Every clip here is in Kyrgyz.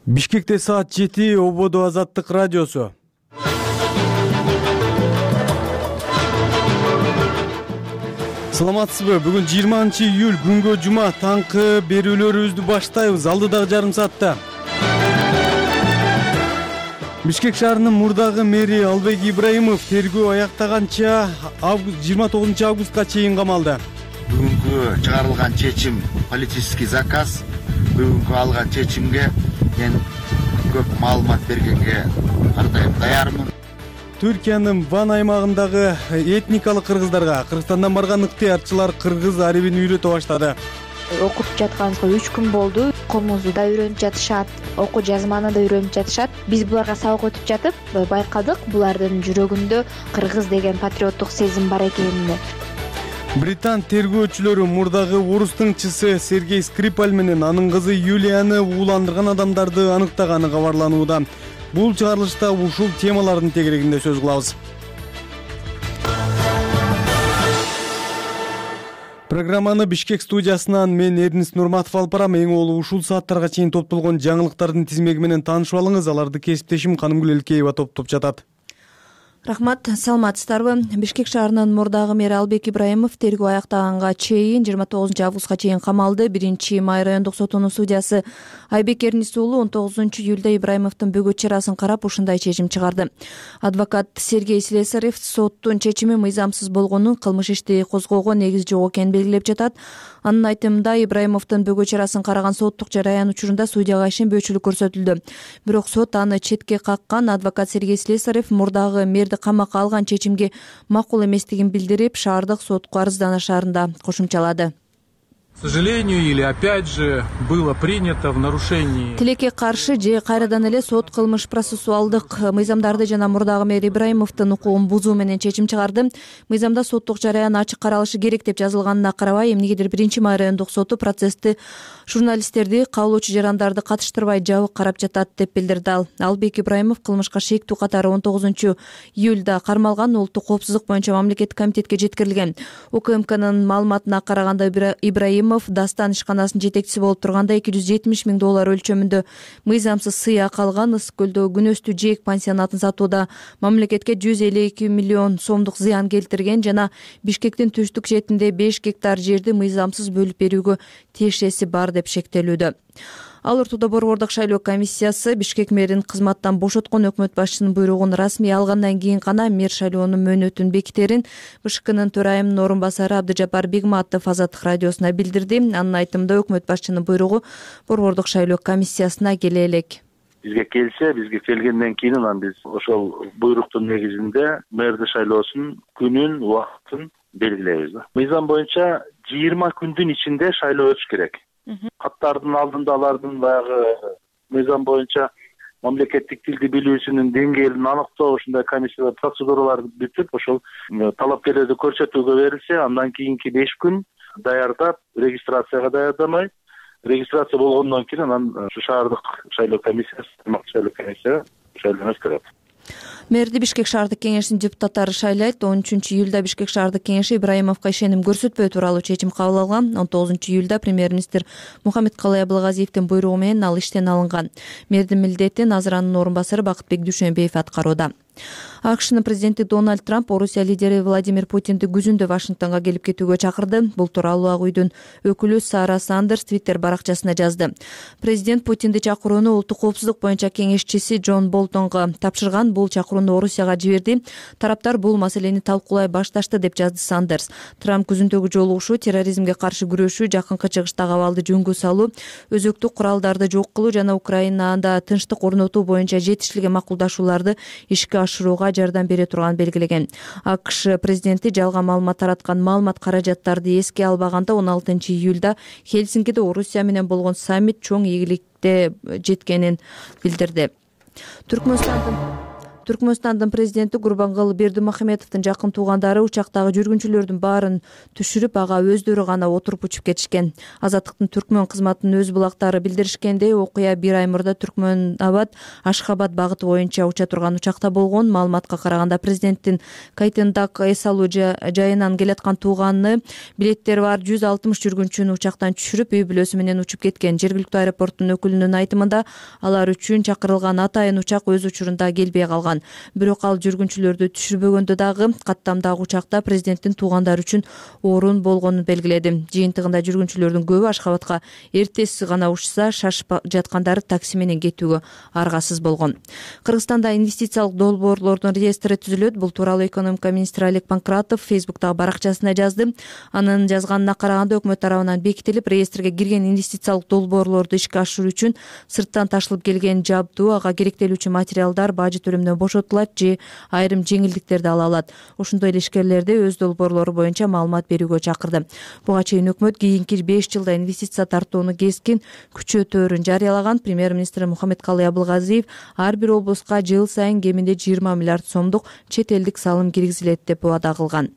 Бишкекте саат 7 Ободо Азаттык радиосу. Саламатсызбы? Бүгүн 20-июль күнгө жума таңкы берүүлөрүбүздү баштайбыз. Алдыдагы жарым саатта Бишкек шаарынын мурдагы мэри Албек Ибраимов тергөө аяктаганча 29 августка чейин камалды. Бүгүнкү чыгарылган чечим политический заказ. Бүгүнкү алган чечимге мен көп маалымат бергенге ардайым даярмын. Түркиянын Ван аймагындагы этникалык кыргыздарга Кыргызстандан барган ыктыярчылар кыргыз арабин үйрөтө баштады. Окутуп жатканыбызга 3 күн болду. Окуумузду да үйрөнүп жатышат, окуу жазманы да үйрөнүп жатышат. Биз буларга сабак өтүп жатып байкадык, булардын жүрөгүндө кыргыз деген патриоттук сезим бар экенин. Британ тергөөчүлөрү мурдагы орус тыңчысы Сергей Скрипаль менен анын кызы Юлияны ууландырган адамдарды аныктаганы кабарланууда. Бул чыгарылышта ушул темалардын тегерегинде сөз кылабыз. Программаны Бишкек студиясынан мен Эрнис Нурматов алып барам. Эң олу ушул сааттарга чейин топтолгон жаңылыктардын тизмеги менен таанышып алыңыз. Аларды кесиптешим Канымгүл Элкеева топтоп жатат. Рахмат, саламатсыздарбы? Бишкек шаарынын мурдагы мэри Албек Ибраимов тергөө аяктаганга чейин 29 августка чейин камалды. 1-Май райондук сотунун судьясы Айбек Эрнис уулу 19 июлда Ибраимовдун бөгөт чарасын карап ушундай чечим чыгарды. Адвокат Сергей Слесарев соттун чечими мыйзамсыз болгонун, кылмыш ишти козгоого негиз жок экенин белгилеп жатат. Анын айтымында Ибраимовдун бөгөт чарасын караган соттук жараян учурунда судьяга ишенбөөчүлүк көрсөтүлдү. Бирок сот аны четке каккан. Адвокат Сергей Слесарев мурдагы мэрди камакка алган чечимге макул эместигин билдирип, шаардык сотко арызданышаарында кошумчалады. К сожалению, или опять же было принято в нарушении. Тилекке каршы же кайрадан эле сот кылмыш процессуалдык мыйзамдарды жана мурдагы мэр Ибраимовдун укугун бузуу менен чечим чыгарды. Мыйзамда соттук жараян ачык каралышы керек деп жазылганына карабай, эмнегедир 1-Май райондук соту процессти журналисттерди, кабылуучу жарандарды катыштырбай жабык карап жатат деп билдирди ал. Албек Ибраимов кылмышка шектүү катары 19 июлда кармалган, улуттук коопсуздук боюнча мамлекеттик комитетке жеткирилген. УКМКнын маалыматына караганда Ибраимов Дастан ишканасынын жетекчиси болуп турганда $270 000 өлчөмүндө мыйзамсыз сыйак алган. Ысык көлдөгү күнөстүү жээк пансионатын сатууда мамлекетке 152 миллион сомдук зыян келтирген жана Бишкектин түштүк четинде 5 гектар жерди мыйзамсыз бөлүп берүүгө тиешеси бар деп шектелүүдө. Ал ортодо Борбордук шайлоо комиссиясы Бишкек мэрин кызматтан бошоткон өкмөт башчысынын буйругун расмий алгандан кийин гана мэр шайлоонун мөөнөтүн бекитерин БШКнын төрайымынын орун басары Абдыжапар Бигматов Азаттык радиосуна билдирди. Анын айтымында өкмөт башчынын буйругу Борбордук шайлоо комиссиясына келе элек. Бизге келсе, бизге келгенден кийин анан биз ошол буйруктун негизинде мэрди шайлоосунун күнүн, убактын белгилейбиз. Мыйзам боюнча 20 күндүн ичинде шайлоо өтүш керек. Каттардын алдында алардын баягы мыйзам боюнча мамлекеттик тилди билүүсүнүн деңгээлин аныктоо ушундай комиссия процедуралар бүтүп, ошол талапкерлерди көрсөтүүгө берилсе, андан кийинки 5 күн даярдап, регистрацияга даярдамай, регистрация болгондон кийин анан шаардык шайлоо комиссиясы, шайлоо комиссия шайлоону өткөрөт. Мэрди Бишкек шаардык кеңешинин депутаттары шайлайт. 13 июлда Бишкек шаардык кеңеши Ибраимовго ишеним көрсөтпөө тууралуу чечим кабыл алган. 19 июлда премьер-министр Мухаммедкалый Абылгазиевдин буйругу менен ал иштен алынган. Мэрдин милдетин азыр анын орун басары Бакытбек Дүйшөнбиев аткарууда. АКШнын президенти Дональд Трамп Орусия лидери Владимир Путинди күзүндө Вашингтонго келип кетүүгө чакырды. Бул тууралуу Ак үйдүн өкүлү Сара Сандерс Твиттер баракчасына жазды. Президент Путинди чакырууну улуттук коопсуздук боюнча кеңешчиси Джон Болтонго тапшырган. Бул чакырууну Орусияга жиберди. Тараптар бул маселени талкуулай башташты деп жазды Сандерс. Трамп күзүндөгү жолугушуу, терроризмге каршы күрөшүү, жакынкы чыгыштагы абалды жөнгө салуу, өзөктүк куралдарды жок кылуу жана Украинада тынчтык орнотуу боюнча жетишилген макулдашууларды ишке ашырууга жардам бере турганын белгилеген. АКШ президенти жалган маалымат тараткан маалымат каражаттарды эске албаганда 16 июлда Хельсинкиде Орусия менен болгон саммит чоң ийгиликте жеткенин билдирди. Түркмөнстандын президенти Гурбангулы Бердимухамедовдун жакын туугандары учактагы жүргүнчүлөрдүн баарын түшүрүп, ага өздөрү гана отуруп учуп кетишкен. Азаттыктын түркмөн кызматынын өз булактары билдиришкендей, окуя 1 ай мурда Түркмөнабад Ашхабад багыты боюнча уча турган учакта болгон. Маалыматка караганда, президенттин Кайтендак эс алуу жайынан келаткан тууганы билеттери бар 160 жүргүнчүнү учактан түшүрүп, үй бүлөсү менен учуп кеткен. Жергиликтүү аэропорттун өкүлүнүн айтымында, алар үчүн чакырылган атайын учак өз учурунда келбей калган. Бирок ал жүргүнчүлөрдү түшүрбөгөндө дагы каттамдагы учакта президенттин туугандары үчүн орун болгонун белгиледи. Жыйынтыгында жүргүнчүлөрдүн көбү Ашхабадка эртеси гана учса, шашып жаткандары такси менен кетүүгө аргасыз болгон. Кыргызстанда инвестициялык долбоорлордун реестри түзүлөт. Бул тууралуу экономика министри Олег Панкратов Фейсбуктагы баракчасында жазды. Анын жазганына караганда, өкмөт тарабынан бекитилип, реестрге кирген инвестициялык долбоорлорду ишке ашыруу үчүн сырттан ташылып келген жабдуу, ага керектелүүчү материалдар бажы төлөмдөн бошотулат же айрым жеңилдиктерди ала алат. Ошондой эле ишкерлерди өз долбоорлору боюнча маалымат берүүгө чакырды. Буга чейин өкмөт кийинки 5 жылда инвестиция тартууну кескин күчөтөөрүн жарыялаган. Премьер-министр Мухаммедкалый Абылгазиев ар бир облуска жыл сайын кеминде 20 миллиард сомдук чет элдик салым киргизилет деп убада кылган.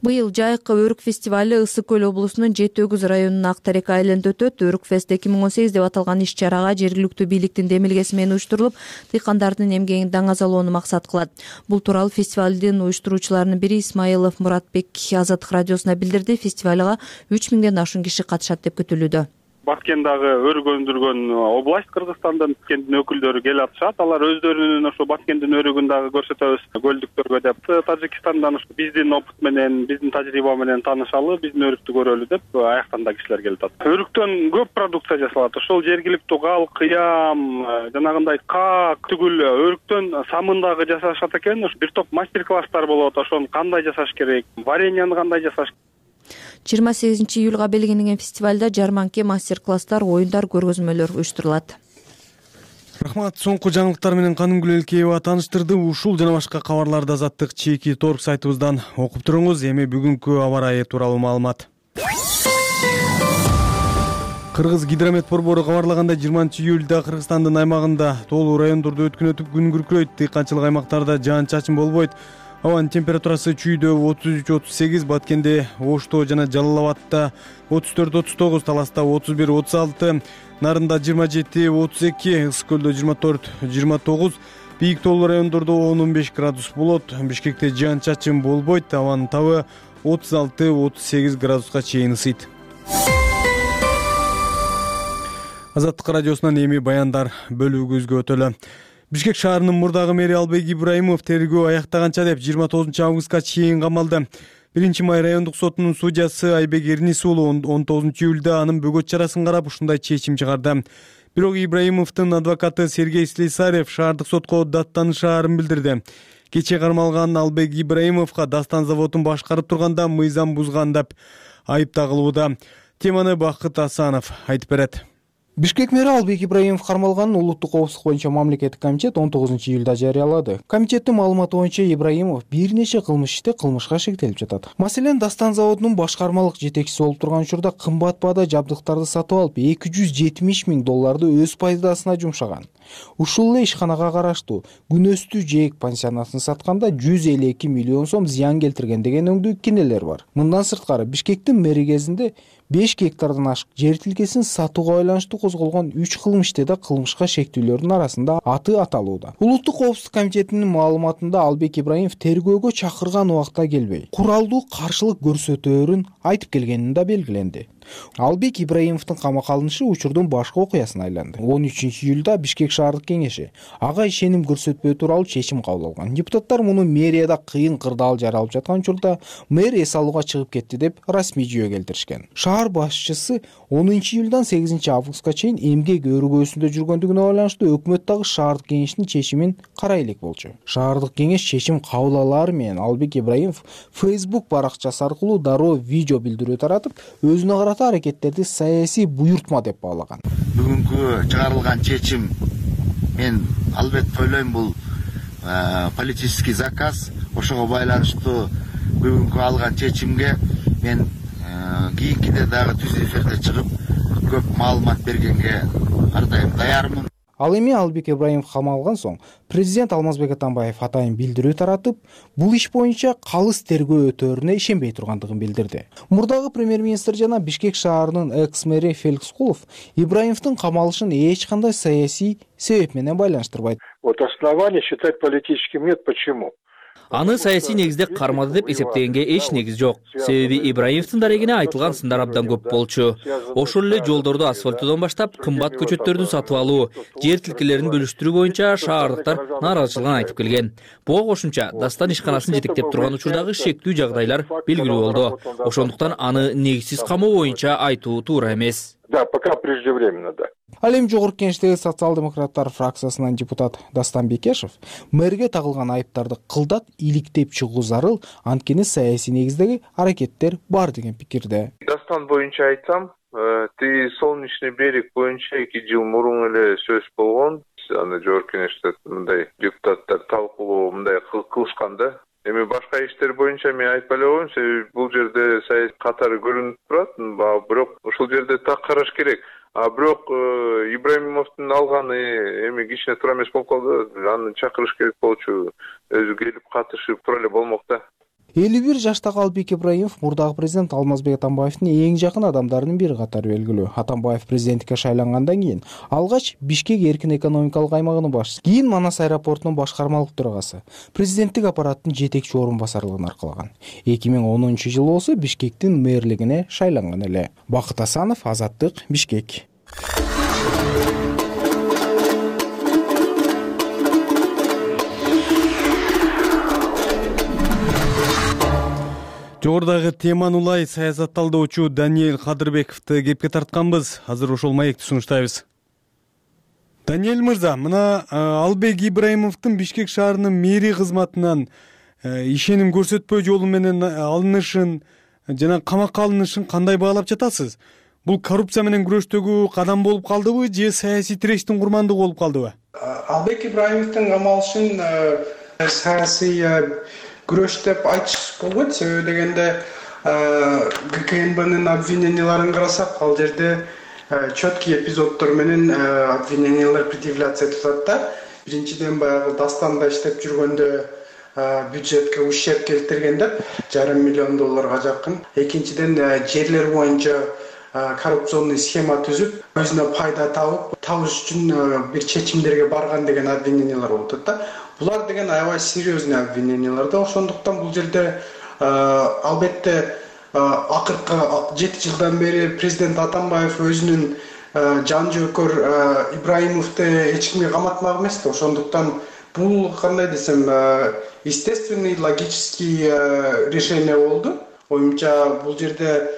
Быйыл Жайкы өрүк фестивали Ысык көл облусунун Жети Өгүз районунун Ак Терек айылында өтөт. Өрүкфест 2018 деп аталган иш-чарага жергиликтүү бийликтин демилгеси менен уюштурулуп, дыйкандардын эмгегин даңазалоону максат кылат. Бул тууралуу фестивалдын уюштуруучуларынын бири Исмаилов Муратбек Азаттык радиосуна билдирди. Фестивалга 3000ден ашуун киши катышат деп күтүлүүдө. Баткендагы өрүк өндүргөн область Кыргызстандын Баткендин өкүлдөрү келип атышат. Алар өздөрүнүн ошо Баткендин өрүгүн дагы көрсөтөбүз көлдүктөргө деп. Тажикстандан биздин опыт менен, биздин тажрыйба менен таанышалы, биздин өрүктү көрөлү деп аяктан да кишилер келип атат. Өрүктөн көп продукция жасалат. Ошол жергиликтүү кал, кыям, жанагындай как, түгүл өрүктөн самын дагы жасашат экен. Бир топ мастер-класстар болот. Ошону кандай жасаш керек, вареньяны кандай жасаш. 28 июлга белгиленген фестивалда жарманке, мастер-класстар, оюндар, көргөзмөлөр уюштурулат. Рахмат. Соңку жаңылыктар менен Канымгүл Элкеева тааныштырды. Ушул жана башка кабарларды Азаттык чеки торг сайтыбыздан окуп туруңуз. Эми бүгүнкү аба ырайы тууралуу маалымат. Кыргыз гидромет борбору кабарлагандай, 20 июлда Кыргызстандын аймагында тоолуу райондордо өткөн өтүп күн күркүрөйт. Дыйканчылык аймактарда жаан-чачын болбойт. Абанын температурасы чүйдө 33-38, Баткенде, Ошто жана Жалал Абадта 34-39, Таласта 31-36, Нарында 27-32, Ысык көлдө 24-29, бийик тоолуу райондордо 10-15 градус болот. Бишкекте жаан-чачын болбойт. Абанын табы 36-38 градуска чейин ысыйт. Азаттык радиосунан эми баяндар бөлүгүбүзгө өтөлү. Бишкек шаарынын мурдагы мэри Албек Ибраимов тергөө аяктаганча деп 29 августка чейин камалды. 1 май райондук сотунун судьясы Айбек Эрнис уулу 19 июлда анын бөгөт чарасын карап ушундай чечим чыгарды. Бирок Ибраимовдун адвокаты Сергей Слесарев шаардык сотко даттанышаарын билдирди. Кечээ кармалган Албек Ибраимовго Дастан заводун башкарып турганда мыйзам бузган деп айып тагылууда. Теманы Бакыт Асанов айтып берет. Бишкек мэри Албек Ибраимов кармалганын улуттук коопсуздук боюнча мамлекеттик комитет 19 июлда жарыялады. Комитеттин маалыматы боюнча Ибраимов бир нече кылмыш иште кылмышка шектелип жатат. Маселен, Дастан заводунун башкармалык жетекчиси болуп турган учурда кымбат баада жабдыктарды сатып алып, $270 000 өз пайдасына жумшаган. Ушул эле ишканага караштуу Күнөстүү Жээк пансионатын сатканда 152 миллион сом зыян келтирген деген өңдүү кинелер бар. Мындан сырткары, Бишкектин мэри кезинде 5 гектардан ашык жер тилкесин сатууга байланыштуу козголгон 3 кылмыш иште да кылмышка шектүүлөрдүн арасында аты аталууда. Улуттук коопсуздук комитетинин маалыматында Албек Ибраимов тергөөгө чакырган убакта келбей, куралдуу каршылык көрсөтөөрүн айтып келгенин да белгиленди. Албек Ибраимовдун камакка алынышы учурдун башкы окуясына айланды. 13 июлда Бишкек шаардык кеңеши ага ишеним көрсөтпөө тууралуу чечим кабыл алган. Депутаттар муну мэрияда кыйын кырдаал жаралып жаткан учурда мэр эс алууга чыгып кетти деп расмий жүйө келтиришкен. Шаар башчысы 10 июлдан 8 августка чейин эмгек өргөөсүндө жүргөндүгүнө байланыштуу өкмөт дагы шаардык кеңештин чечимин карай элек болчу. Шаардык кеңеш чечим кабыл алаары менен Албек Ибраимов Facebook баракчасы аркылуу дароо видео билдирүү таратып, өзүнө карата аракеттерди саясий буйртма деп баалаган. Бүгүнкү чыгарылган чечим, мен албетте ойлойм, бул политический заказ. Ошого байланыштуу бүгүнкү алган чечимге мен кийинкиде дагы түз эфирде чыгып көп маалымат бергенге ар дайым даярмын. Ал эми Албек Ибраимов камалган соң президент Алмазбек Атамбаев атайын билдирүү таратып, бул иш боюнча калыс тергөө өтөөрүнө ишенбей тургандыгын билдирди. Мурдагы премьер-министр жана Бишкек шаарынын экс-мэри Феликс Кулов Ибраимовдун камалышын эч кандай саясий себеп менен байланыштырбайт. Вот основание считать политическим нет. Почему? Аны саясий негизде кармады деп эсептегенге эч негиз жок. Себеби Ибраимовдун дарегине айтылган сындар абдан көп болчу. Ошол эле жолдорду асфальттоодон баштап кымбат көчөттөрдү сатып алуу, жер тилкелерин бөлүштүрүү боюнча шаардыктар нааразычылыгын айтып келген. Буга кошумча Дастан ишканасын жетектеп турган учурдагы шектүү жагдайлар белгилүү болду. Ошондуктан аны негизсиз камоо боюнча айтуу туура эмес. Да, пока преждевременно, да. Ал эми Жогорку Кеңештеги социал-демократтар фракциясынын депутаты Дастан Бекешев мэрге тагылган айыптарды кылдат иликтеп чыгуу зарыл, анткени саясий негиздеги аракеттер бар деген пикирде. Дастан боюнча айтсам, Солнечный берег боюнча 2 жыл мурун эле сөз болгон. Аны Жогорку Кеңеште мындай депутаттар талкуулоо мындай кылышкан да. Эми башка иштер боюнча мен айтпай эле коеюн, себеби бул жерде саясий катары көрүнүп турат, бирок ушул жерде так караш керек. Бирок Ибраимовдун алганы эми кичине туура эмес болуп калды. Аны чакырыш керек болчу. Өзү келип катышып тура эле болмок да. 51 жаштагы Албек Ибраимов мурдагы президент Алмазбек Атамбаевдин эң жакын адамдарынын бири катары белгилүү. Атамбаев президенттикке шайлангандан кийин алгач Бишкек эркин экономикалык аймагынын башчысы, кийин Манас аэропортунун башкармалык төрагасы, президенттик аппараттын жетекчи орун басарлыгын аркалаган. 2010-жылы болсо Бишкектин мэрлигине шайланган эле. Бакыт Асанов, Азаттык, Бишкек. Жогорудагы теманы улай саясат талдоочу Даниэль Кадырбековду кепке тартканбыз. Азыр ошол маекти сунуштайбыз. Даниэль мырза, мына Албек Ибраимовдун Бишкек шаарынын мэри кызматынан ишеним көрсөтпөө жолу менен алынышын жана камакка алынышын кандай баалап жатасыз? Бул коррупция менен күрөштөгү кадам болуп калдыбы же саясий тирештин курмандыгы болуп калдыбы? Албек Ибраимовдун камалышын саясий күрөш деп айтыш болбойт. Себеби дегенде ГКНБнын обвиненияларын карасак, ал жерде четкий эпизоддор менен обвинениялар предъявляться этилет да. Биринчиден баягы Дастанда иштеп жүргөндө бюджетке ущерб келтирген деп $500 миллион жакын. Экинчиден жерлер боюнча коррупционный схема түзүп, өзүнө пайда табыш үчүн бир чечимдерге барган деген обвинениялар болуп да. Булар деген аябай серьезный обвинениялар да. Ошондуктан бул жерде албетте акыркы 7 жылдан бери президент Атамбаев өзүнүн жан жөөкөр Ибраимовду эч кимге каматмак эмес да. Ошондуктан бул кандай десем, естественный, логический решение болду. Оюмча бул жерде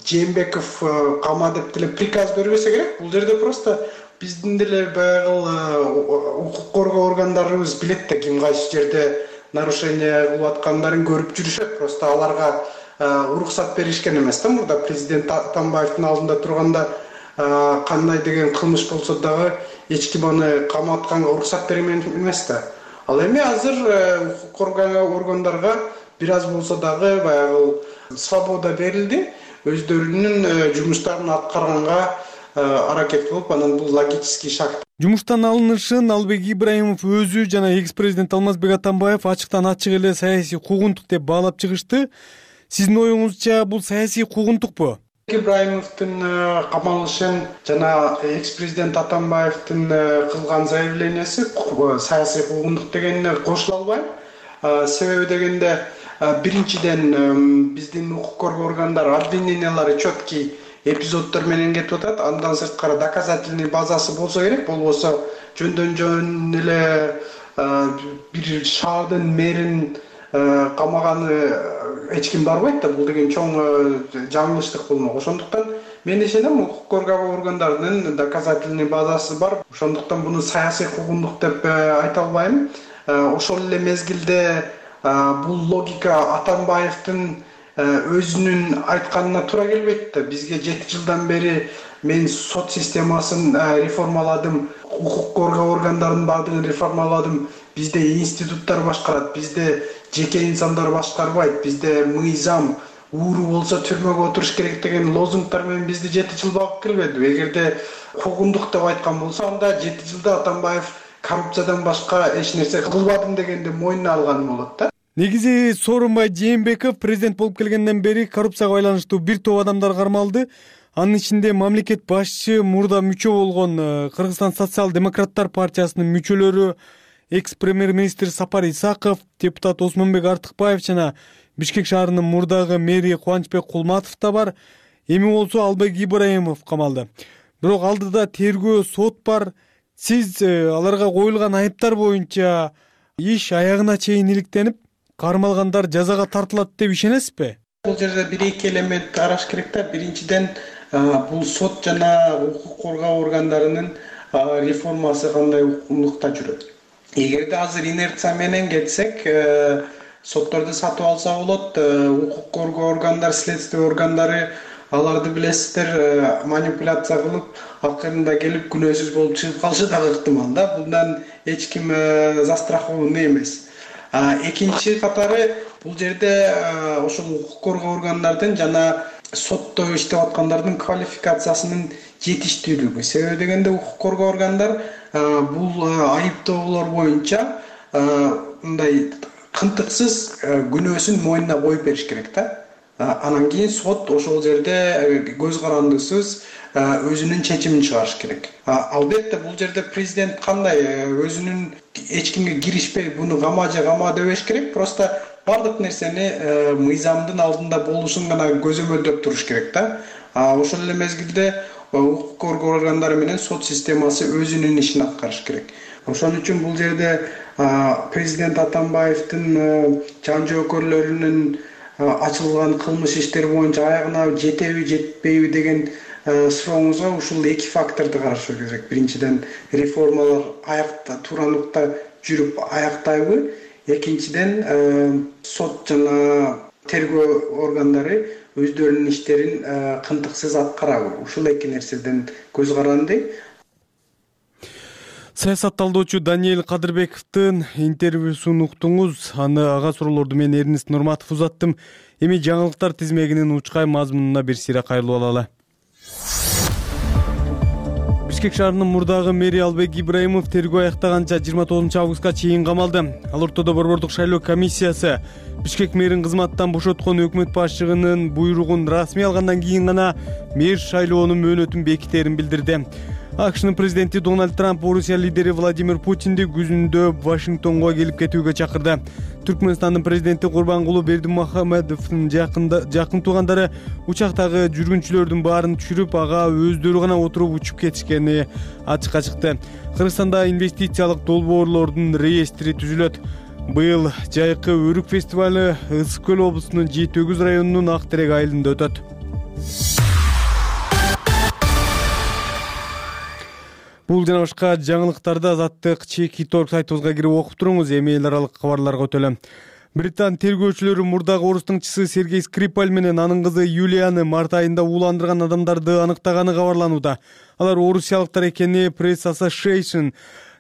Жээнбеков кама деп деле приказ бербесе керек. Бул жерде просто биздин деле баягы укук коргоо органдарыбыз билет да, ким кайсы жерде нарушение кылып аткандарын көрүп жүрүшөт. Просто аларга уруксат беришкен эмес да. Мурда президент Атамбаевдин алдында турганда кандай деген кылмыш болсо дагы эч ким аны каматканга уруксат берген эмес да. Ал эми азыр укук коргоо органдарга бир аз болсо дагы баягы свобода берилди. Өздөрүнүн жумуштарын аткарганга аракет кылып, анан бул логический шаг. Жумуштан алынышын Албек Ибраимов өзү жана экс-президент Алмазбек Атамбаев ачыктан ачык эле саясий куугунтук деп баалап чыгышты. Сиздин оюңузча бул саясий куугунтукпу? Ибраимовдун камалышын жана экс-президент Атамбаевдин кылган заявленияси саясий куугунтук дегенине кошула албайм. Себеби дегенде биринчиден биздин укук коргоо органдары обвинениялары четкий эпизоддор менен кетип атат. Андан сырткары доказательный базасы болсо керек. Болбосо жөндөн эле бир шаардын мэрин камаганы эч ким барбайт да. Бул деген чоң жаңылыштык болмок. Ошондуктан мен ишенем, укук коргоо органдарынын доказательный базасы бар. Ошондуктан буну саясий куугунтук деп айта албайм. Ошол эле мезгилде бул логика Атамбаевдин өзүнүн айтканына туура келбейт да. Бизге 7 жылдан бери мен сот системасын реформаладым, укук коргоо органдарынын баардыгын реформаладым. Бизде институттар башкарат, бизде жеке инсандар башкарбайт, бизде мыйзам, ууру болсо түрмөгө отуруш керек деген лозунгдар менен бизди 7 жыл багып келбедиби? Эгерде куугундук деп айткан болсо, анда 7 жылда Атамбаев коррупциядан башка эч нерсе кылбадым дегенди мойнуна алган болот да. Негизи Сооронбай Жээнбеков президент болуп келгенден бери коррупцияга байланыштуу бир топ адамдар кармалды. Анын ичинде мамлекет башчы, мурда мүчө болгон Кыргызстан социал-демократтар партиясынын мүчөлөрү, экс-премьер-министр Сапар Исаков, депутат Осмонбек Артыкбаев жана Бишкек шаарынын мурдагы мэри Кубанычбек Кулматов да бар. Эми болсо Албек Ибраимов камалды. Бирок алдыда тергөө, сот бар. Сиз аларга коюлган айыптар боюнча иш аягына чейин иликтенип, кармалгандар жазага тартылат деп ишенесизби? Бул жерде бир-эки элемент караш керек да. Биринчиден, бул сот жана укук коргоо органдарынын реформасы кандай укмукта жүрөт. Эгерде азыр инерция менен кетсек, сотторду сатып алса болот, укук коргоо органдары, следствие органдары, аларды билесиздер, манипуляция кылып, акырында келип күнөөсүз болуп чыгып калышы дагы ыктымал да. Bundan эч ким застрахованный эмес. Экинчи катары, бул жерде ошол укук коргоо органдардын жана сотто иштеп аткандардын квалификациясынын жетиштүүлүгү. Себеби дегенде укук коргоо органдар бул айыптоолор боюнча мындай кынтыксыз күнөөсүн мойнуна коюп бериш керек да. Анан кийин сот ошол жерде көз карандысыз өзүнүн чечимин чыгарыш керек. Албетте бул жерде президент кандай өзүнүн эч кимге киришпей буну кама же кама дебеш керек. Просто бардык нерсени мыйзамдын алдында болушун гана көзөмөлдөп туруш керек да. Ошол эле мезгилде укук коргоо органдары менен сот системасы өзүнүн ишин аткарыш керек. Ошон үчүн бул жерде президент Атамбаевдин жан жоокөрлөрүнүн ачылган кылмыш иштери боюнча аягына жетеби, жетпейби деген сурооңузга ушул эки факторду караш керек. Биринчиден, реформалар аякта тууралыкта жүрүп аяктайбы? Экинчиден, сот жана тергөө органдары өздөрүнүн иштерин кынтыксыз аткарабы? Ушул эки нерседен көз каранды. Саясат талдоочу Даниэль Кадырбековдун интервьюсун уктуңуз. Аны ага суроолорду мен Эрнест Нурматов узаттым. Эми жаңылыктар тизмегинин учкай мазмунуна бир сыйра кайрылып алалы. Бишкек шаарынын мурдагы мэри Албек Ибраимов тергөө аяктаганча 29 августка чейин камалды. Ал ортодо борбордук шайлоо комиссиясы Бишкек мэрин кызматтан бошоткон өкмөт башчыгынын буйругун расмий алгандан кийин гана мэр шайлоонун мөөнөтүн бекитерин билдирди. АКШнын президенти Дональд Трамп Орусия лидери Владимир Путинди күзүндө Вашингтонго келип кетүүгө чакырды. Түркмөнстандын президенти Курбангулу Бердимухамедовдун жакын туугандары учактагы жүргүнчүлөрдүн баарын түшүрүп, ага өздөрү гана отуруп учуп кетишкени ачыкка чыкты. Кыргызстанда инвестициялык долбоорлордун реестри түзүлөт. Быйыл жайкы өрүк фестивалы Ысык көл облусунун Жийит Өгүз районунун Ак Терек айылында өтөт. Бул жана башка жаңылыктарды Азаттык Чеки.org сайтыбызга кирип окуп туруңуз. Эми эл аралык кабарларга өтөлөм. Британ тергөөчүлөрү мурдагы орустун чысы Сергей Скрипаль менен анын кызы Юлияны март айында ууландырган адамдарды аныктаганы кабарланууда. Алар орусиялыктар экени Press Association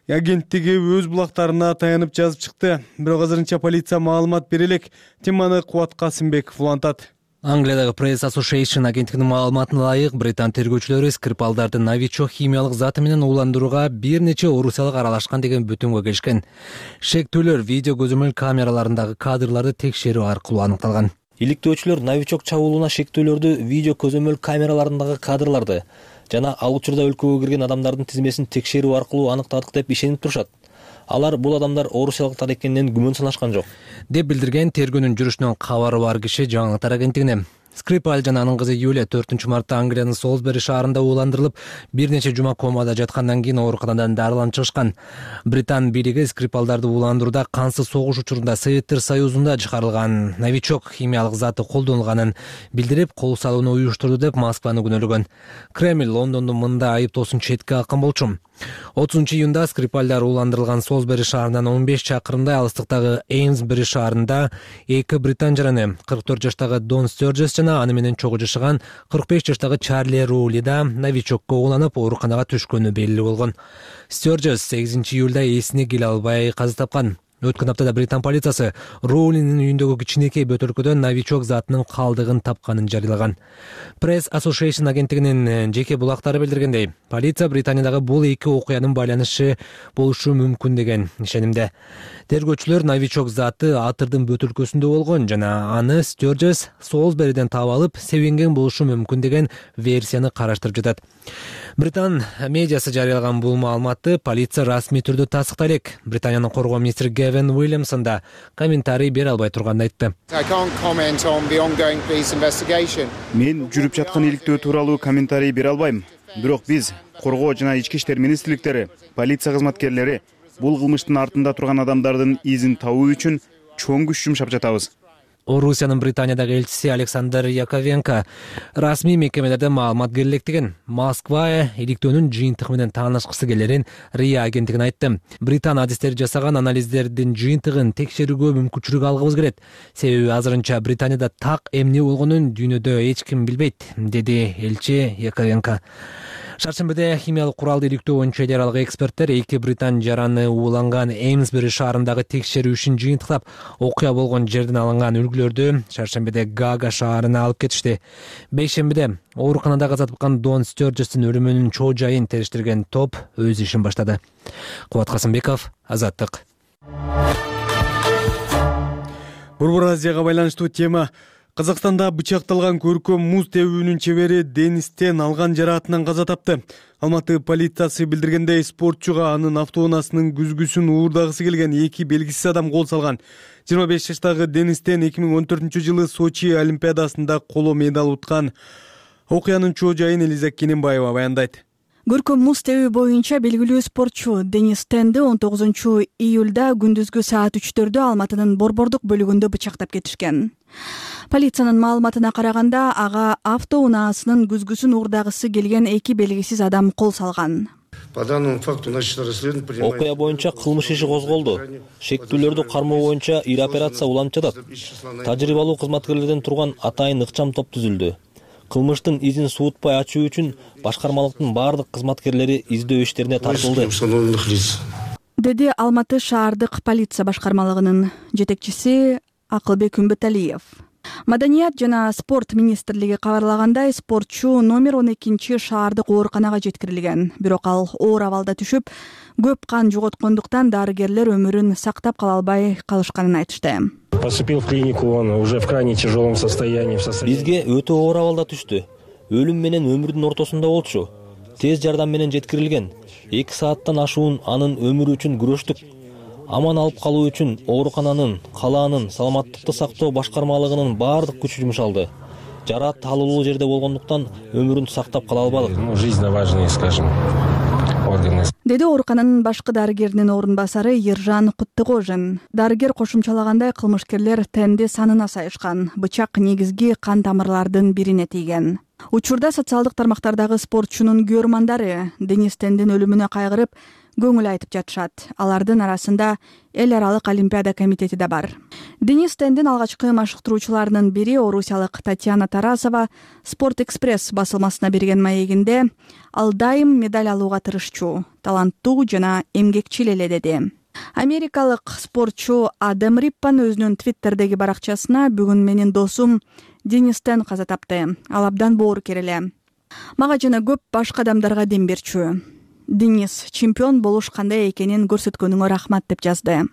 агенттиги өз булактарына таянып жазып чыкты. Бирок азырынча полиция маалымат бере элек. Теманы Кубат Касымбеков улантат. Англиядагы Press Association агенттигинин маалыматына ылайык, британ тергөөчүлөрү Скрипалдарды новичок химиялык заты менен ууландырууга бир нече орусиялык аралашкан деген бүтүнгө келишкен. Шектүүлөр видео көзөмөл камераларындагы кадрларды текшерүү аркылуу аныкталган. Иликтөөчүлөр новичок чабуулуна шектүүлөрдү видео көзөмөл камераларындагы кадрларды жана ал учурда өлкөгө кирген адамдардын тизмесин текшерүү аркылуу аныктадык деп ишенип турушат. Алар бул адамдар орусиялыктар экенинен күмөн санашкан жок, деп билдирген тергөөнүн жүрүшүнөн кабары бар киши жаңылыктар агенттигине. Скрипаль жана анын кызы Юлия 4-мартта Англиянын Солсбери шаарында ууландырылып, бир нече жума комада жаткандан кийин ооруканадан дарыланып чыгышкан. Британ бийлиги Скрипалдарды ууландырууда кансыз согуш учурунда Советтер Союзунда чыгарылган новичок химиялык заты колдонулганын билдирип, кол салууну уюштурду деп Москваны күнөөлөгөн. Кремль Лондондун мындай айыптоосун четке каккан болчу. 30-июнда Скрипалдар ууландырылган Солсбери шаарынан 15 чакырымдай алыстыктагы Эйнсбери шаарында эки британ жараны 44 жаштагы Дон Стерджес жана аны менен чогуу жашаган 45 жаштагы Чарли Рули да новичокко ууланып ооруканага түшкөнү белгилүү болгон. Стерджес 8-июлда эсине келе албай каза тапкан. Өткөн аптада Британ полициясы Роулиндин үйүндөгү кичинекей бөтөлкөдөн новичок затынын калдыгын тапканын жарыялаган. Press Association агенттигинин жеке булактары билдиргендей, полиция Британиядагы бул эки окуянын байланышы болушу мүмкүн деген ишенимде. Тергөөчүлөр новичок заты атырдын бөтөлкөсүндө болгон жана аны Стерджес Солсбериден таап алып, себенген болушу мүмкүн деген версияны караштырып жатат. Британ медиасы жарыялаган бул маалыматты полиция расмий түрдө тастыктай элек. Британиянын коргоо министри Гевин Уильямсон да комментарий бере албай турганын айтты. Мен жүрүп жаткан иликтөө тууралуу комментарий бере албайм. Бирок биз коргоо жана ички иштер министрликтери, полиция кызматкерлери бул кылмыштын артында турган адамдардын изин табуу үчүн чоң күч жумшап жатабыз. Орусиянын Британиядагы элчиси Александр Яковенко расмий мекемелерде маалымат керектигин, Москва иликтөөнүн жыйынтыгы менен таанышкысы келерин РИА агенттигине айтты. Британ адистери жасаган анализдердин жыйынтыгын текшерүүгө мүмкүнчүлүк алгыбыз келет. Себеби азырынча Британияда так эмне болгонун дүйнөдө эч ким билбейт, деди элчи Яковенко. Шаршембиде химиялык куралды иликтөө боюнча эл аралык эксперттер эки британ жараны ууланган Эймсбери шаарындагы текшерүү ишин жыйынтыктап, окуя болгон жерден алынган үлгүлөрдү шаршембиде Гага шаарына алып кетишти. Бейшембиде ооруканада каза тапкан Дон Стерджестин өлүмүнүн чоо жайын териштирген топ өз ишин баштады. Кубат Касымбеков, Азаттык. Борбор Азияга байланыштуу тема. Казакстанда бычакталган көркөм муз тебүүнүн чебери Денис Тен алган жараатынан каза тапты. Алматы полициясы билдиргендей, спортчуга анын автоунаасынын күзгүсүн уурдагысы келген эки белгисиз адам кол салган. 25 жаштагы Денис Тен 2014-жылы Сочи олимпиадасында коло медаль уткан. Окуянын чоо жайын Элиза Кененбаева баяндайт. Көркөм муз тебүү боюнча белгилүү спортчу Денис Тенди 19-июлда күндүзгү саат 3-төрдө Алматынын Борбордук бөлүгүндө бычактап кетишкен. Полициянын маалыматына караганда, ага автоунаасынын күзгүсүн уурдагысы келген эки белгисиз адам кол салган. Окуя боюнча кылмыш иши козголду. Шектүүлөрдү кармоо боюнча ир операция уланып жатат. Тажрыйбалуу кызматкерлерден турган атайын ыкчам топ түзүлдү. Кылмыштын изин суутпай ачуу үчүн башкармалыктын бардык кызматкерлери издөө иштерине тартылды, деди Алматы шаардык полиция башкармалыгынын жетекчиси Акылбек Үмбөталиев. Маданият жана спорт министрлиги кабарлагандай, спортчу номер 12 шаардык ооруканага жеткирилген. Бирок ал оор абалда түшүп, көп кан жоготкондуктан дарыгерлер өмүрүн сактап кала албай калышканын айтышты. Поступил в клинику, он уже в крайне тяжелом состоянии. Бизге өтө оор абалда түштү. Өлүм менен өмүрдүн ортосунда болчу. Тез жардам менен жеткирилген. 2 сааттан ашуун анын өмүрү үчүн күрөштүк. Аман алып калуу үчүн оорукананын, калаанын, саламаттыкты сактоо башкармалыгынын бардык күчү жумшалды. Жараат таалуулуу жерде болгондуктан өмүрүн сактап кала албадык. Жизненно важные, скажем, органы. Деди оорукананын башкы дарыгеринин орун басары Ержан Куттыгожин. Дарыгер кошумчалагандай, кылмышкерлер Тенди санына сайышкан. Бычак негизги кан тамырлардын бирине тийген. Учурда социалдык тармактардагы спортчунун көрмандары Денис Тендин өлүмүнө кайгырып, көңүл айтып жатышат. Алардын арасында эл аралык олимпиада комитети да бар. Денис Тендин алгачкы машыктыруучуларынын бири орусиялык Татьяна Тарасова Спорт Экспресс басылмасына берген маегинде ал дайым медаль алууга тырышчу, таланттуу жана эмгекчил эле деди. Америкалык спортчу Адам Риппан өзүнүн Твиттердеги баракчасына бүгүн менин досум Денис Тен каза тапты. Ал абдан боорукер эле. Мага жана көп башка адамдарга дем берчү. Денис, чемпион болуш кандай экенин көрсөткөнүңө рахмат деп жазды.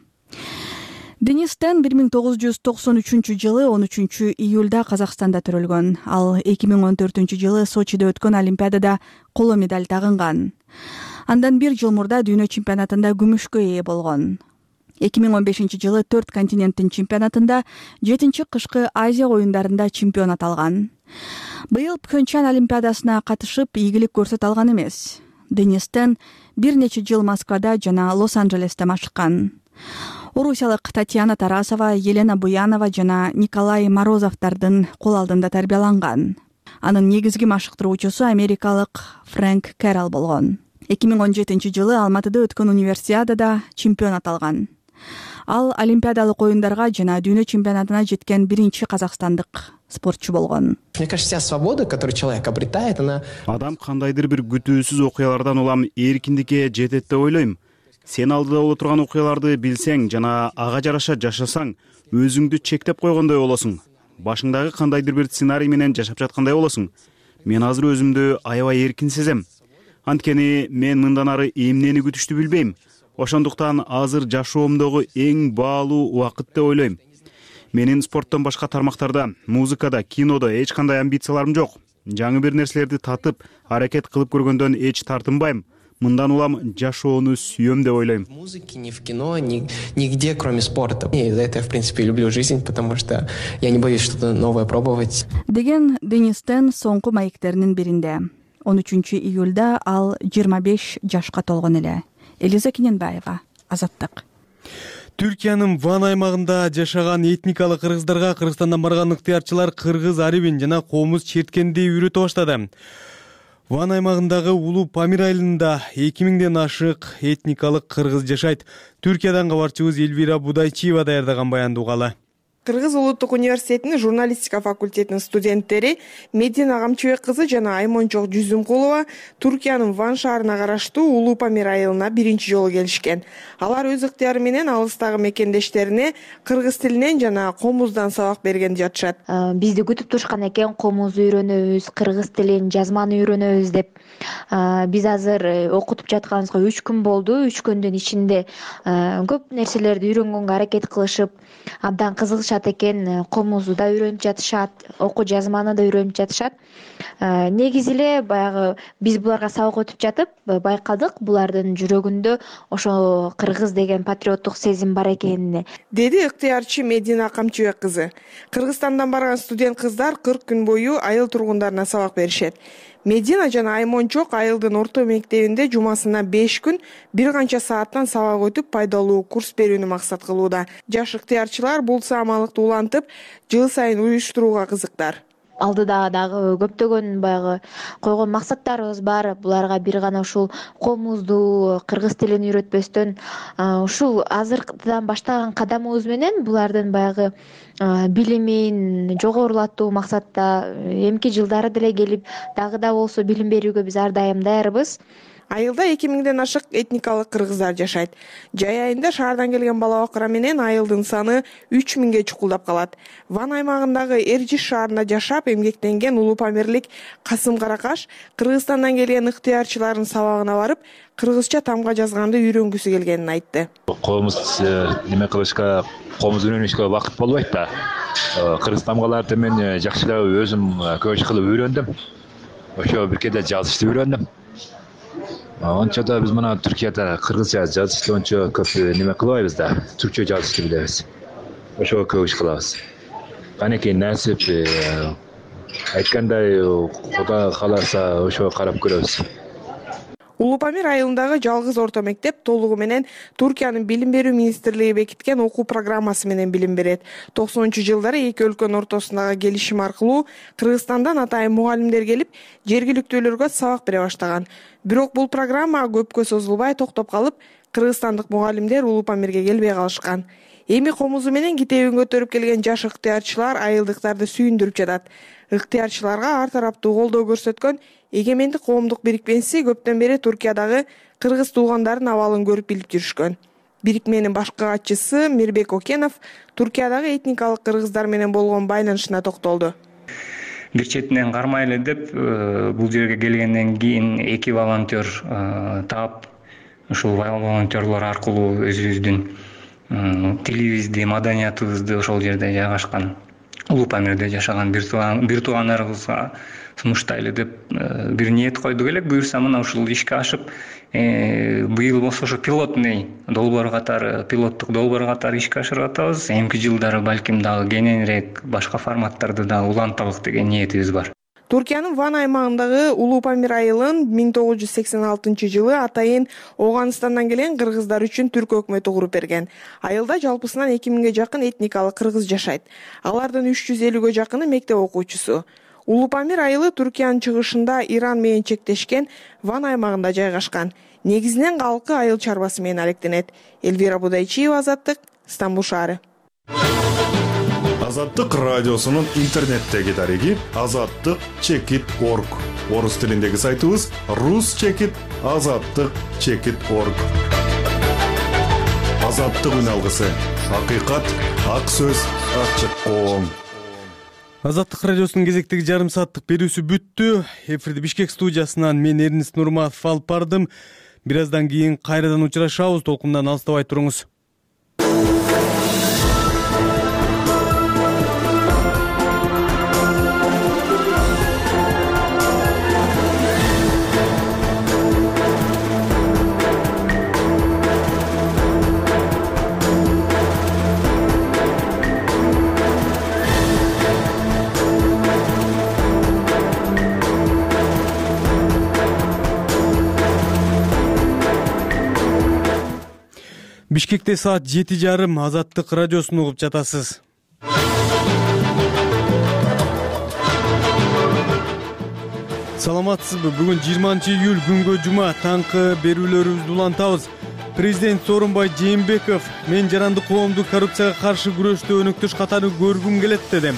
Денис Тен 1993-жылы 13-июлда Казакстанда төрөлгөн. Ал 2014-жылы Сочиде өткөн олимпиадада коло медаль тагынган. Андан 1 жыл мурда дүйнө чемпионатында күмүшкө ээ болгон. 2015-жылы 4 континенттин чемпионатында 7-чи кышкы Азия оюндарында чемпионат алган. Быйыл Пхенчан олимпиадасына катышып, ийгилик көрсөтө алган эмес. Денис Тен бир нече жыл Москвада жана Лос-Анджелесте машыккан. Орусиялык Татьяна Тарасова, Елена Буянова жана Николай Морозовдардын кол алдында тарбияланган. Анын негизги машыктыруучусу америкалык Фрэнк Кэрролл болгон. 2017-жылы Алматыда өткөн универсиадада чемпионат алган. Ал олимпиадалык оюндарга жана дүйнө чемпионатына жеткен биринчи казакстандык спортчу болгон. Мне кажется, вся свобода, которую человек обретает, она... Адам кандайдыр бир күтүүсүз окуялардан улам эркиндикке жетет деп ойлойм. сен алдыда боло турган окуяларды билсең жана ага жараша жашасаң өзүңдү чектеп койгондой болосуң. Башыңдагы кандайдыр бир сценарий менен жашап жаткандай болосуң. Мен азыр өзүмдү аябай эркин сезем. Анткени мен мындан ары эмнени күтүштү билбейм. Ошондуктан азыр жашоомдогу эң баалуу убакыт деп ойлойм. Менин спорттон башка тармактарда, музыкада, кинодо эч кандай амбицияларым жок. Жаңы бир нерселерди татып, аракет кылып көргөндөн эч тартынбайм. Мындан улам жашоону сүйөм деп ойлойм. В музыке, ни в кино, нигде, кроме спорта. И за это я, в принципе, люблю жизнь, потому что я не боюсь что-то новое пробовать. Деген Денис Тен соңку маектеринин биринде. 13-июлда ал 25 жашка толгон эле. Элиза Кененбаева, Азаттык. Түркиянын Ван аймагында жашаган этникалык кыргыздарга Кыргызстандан барган ыктыярчылар кыргыз арибин жана комуз черткенди үйрөтө баштады. Ван аймагындагы Улуу Памир айылында 2000ден ашык этникалык кыргыз жашайт. Түркиядан кабарчыбыз Элвира Будайчиева даярдаган баянды угалы. Кыргыз улуттук университетинин журналистика факультетинин студенттери Медина Камчыбек кызы жана Аймончок Жүзүмкулова Түркиянын Ван шаарына караштуу Улуу Памир айылына биринчи жолу келишкен. Алар өз ыктыяры менен алыстагы мекендештерине кыргыз тилинен жана комуздан сабак берген жатышат. Бизди күтүп турушкан экен, комуз үйрөнөбүз, кыргыз тилин, жазманы үйрөнөбүз деп. Биз азыр окутуп жатканыбызга 3 күн болду. 3 күндүн ичинде көп нерселерди үйрөнгөнгө аракет кылышып, абдан кызыгышат экен. Комузду да үйрөнүп жатышат, окуу жазманы да үйрөнүп жатышат. Негизи эле баягы биз буларга сабак өтүп жатып байкадык, булардын жүрөгүндө ошо кыргыз деген патриоттук сезим бар экенин, деди ыктыярчы Медина Камчыбек кызы. Кыргызстандан барган студент кыздар 40 күн бою айыл тургундарына сабак беришет. Медина жана Аймончок айылдын орто мектебинде жумасына 5 күн бир канча сааттан сабак өтүп пайдалуу курс берүүнү максат кылууда. Жаш ыктыярчылар бул саамалыкты улантып, жыл сайын уюштурууга кызыктар. Алдыда дагы көптөгөн баягы койгон максаттарыбыз бар. Буларга бир гана ушул комузду, кыргыз тилин үйрөтпөстөн, ушул азыркыдан баштаган кадамыбыз менен булардын баягы билимин жогорулатуу максатта эмки жылдары деле келип, дагы да болсо билим берүүгө биз ар дайым даярбыз. Айылда 2000ден ашык этникалык кыргыздар жашайт. Жай айында шаардан келген бала бакыра менен айылдын саны 3000ге чукулдап калат. Ван аймагындагы Эржиш шаарында жашап эмгектенген Улуу Памирлик Касым Каракаш Кыргызстандан келген ыктыярчылардын сабагына барып, кыргызча тамга жазганды үйрөнгүсү келгенин айтты. Комуз неме кылышка, комуз үйрөнүшкө убакыт болбойт да. Кыргыз тамгаларды мен жакшылап өзүм көчү кылып үйрөндүм. Ошо бир кээде жазышты үйрөндүм. Ончо да биз мына Түркияда кыргызча жазышты ончо көп неме кылбайбыз да, түркчө жазышты билебиз. Ошого көп иш кылабыз. Канекей насип айткандай Кудай кааласа ошого карап көрөбүз. Улуу Памир айылындагы жалгыз орто мектеп толугу менен Туркиянын билим берүү министрлиги бекиткен окуу программасы менен билим берет. 90-жылдары эки өлкөнүн ортосундагы келишим аркылуу Кыргызстандан атайын мугалимдер келип, жергиликтүүлөргө сабак бере баштаган. Бирок бул программа көпкө созулбай токтоп калып, кыргызстандык мугалимдер Улуу Памирге келбей калышкан. Эми комузу менен китебин көтөрүп келген жаш ыктыярчылар айылдыктарды сүйүндүрүп жатат. Ыктыярчыларга ар тараптуу колдоо көрсөткөн Эгемендик коомдук бирикмеси көптөн бери Туркиядагы кыргыз туугандардын абалын көрүп билип жүрүшкөн. Бирикменин башкы катчысы Мирбек Окенов Туркиядагы этникалык кыргыздар менен болгон байланышына токтолду. Бир четинен кармайлы деп бул жерге келгенден кийин эки волонтер таап, ушул волонтерлор аркылуу өзүбүздүн тилибизди, маданиятыбызды ошол жерде жайгашкан Улуу Памирде жашаган бир туугандарыбызга сунуштайлы деп бир ниет койдук элек. Буюрса мына ушул ишке ашып, быйыл болсо ошо пилотный долбоор катары, пилоттук долбоор катары ишке ашырып атабыз. Эмки жылдары балким дагы кененирээк башка форматтарды да улантабык деген ниетибиз бар. Туркиянын Ван аймагындагы Улуу Памир айылын 1986-жылы атайын Оганстандан келген кыргыздар үчүн түрк өкмөтү куруп берген. Айылда жалпысынан 2000ге жакын этникалык кыргыз жашайт. Алардын 350ге жакыны мектеп окуучусу. Улуу Памир айылы Түркиянын чыгышында Иран менен чектешкен Ван аймагында жайгашкан. Негизинен калкы айыл чарбасы менен алектенет. Элвира Будайчиева, Азаттык, Стамбул шаары. Азаттык радиосунун интернеттеги дареги azattik.org. Орус тилиндеги сайтыбыз rus.azattik.org. Азаттык үн алгысы. Акыйкат, ак сөз, ачык коом. Азаттык радиосунун кезектеги жарым сааттык берүүсү бүттү. Эфирди Бишкек студиясынан мен Эрнис Нурматов алып бардым. Бир аздан кийин кайрадан учурашабыз. Толкундан алыстабай туруңуз. Бишкекте саат 7:30 Азаттык радиосун угуп жатасыз. Саламатсызбы? Бүгүн 20-июль күнгө жума таңкы берүүлөрүбүздү улантабыз. Президент Сооронбай Жээнбеков мен жарандык коомду коррупцияга каршы күрөштө өнөктөш катары көргүм келет деди.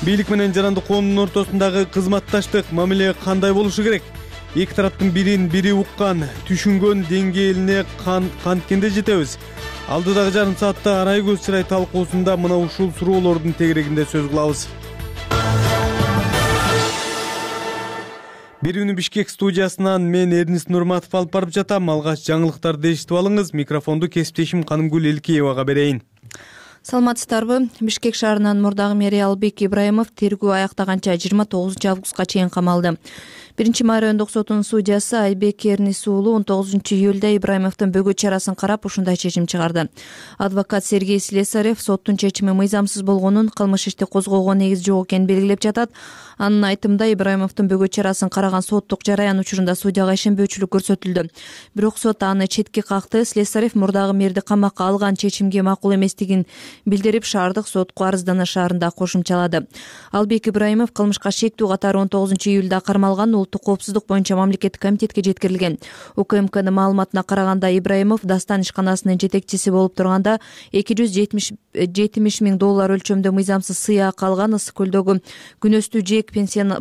Бийлик менен жарандык коомдун ортосундагы кызматташтык мамиле кандай болушу керек? Эки тараптын бирин бири уккан, түшүнгөн деңгээлине канткенде жетебиз. Алдыдагы жарым саатта арай көз чырай талкуусунда мына ушул суроолордун тегерегинде сөз кылабыз. Берүүнү Бишкек студиясынан мен Эрнис Нурматов алып барып жатам. Алгач жаңылыктарды эшитип алыңыз. Микрофонду кесиптешим Канымгүл Элкеевага берейин. Саламатсыздарбы? Бишкек шаарынын мурдагы мэри Албек Ибраимов тергөө аяктаганча 29-августка чейин камалды. 1 райондук сотунун судьясы Айбек Эрнис уулу 19-июлда Ибраимовдун бөгөт чарасын карап ушундай чечим чыгарды. Адвокат Сергей Слесарев соттун чечими мыйзамсыз болгонун, кылмыш ишти козгоого негиз жок экенин белгилеп жатат. Анын айтымында Ибраимовдун бөгөт чарасын караган соттук жараян учурунда судьяга ишенбөөчүлүк көрсөтүлдү. Бирок сот аны четке какты. Слесарев мурдагы мэрди камакка алган чечимге макул эместигин билдирип, шаардык сотко арызданышаарын кошумчалады. Албек Ибраимов кылмышка шектүү катары 19-июлда кармалган, улуттук коопсуздук боюнча мамлекеттик комитетке жеткирилген. УКМКнын маалыматына караганда Ибраимов Дастан ишканасынын жетекчиси болуп турганда $270 000 өлчөмдө мыйзамсыз сыйак алган. Ысык көлдөгү күнөстүү жээк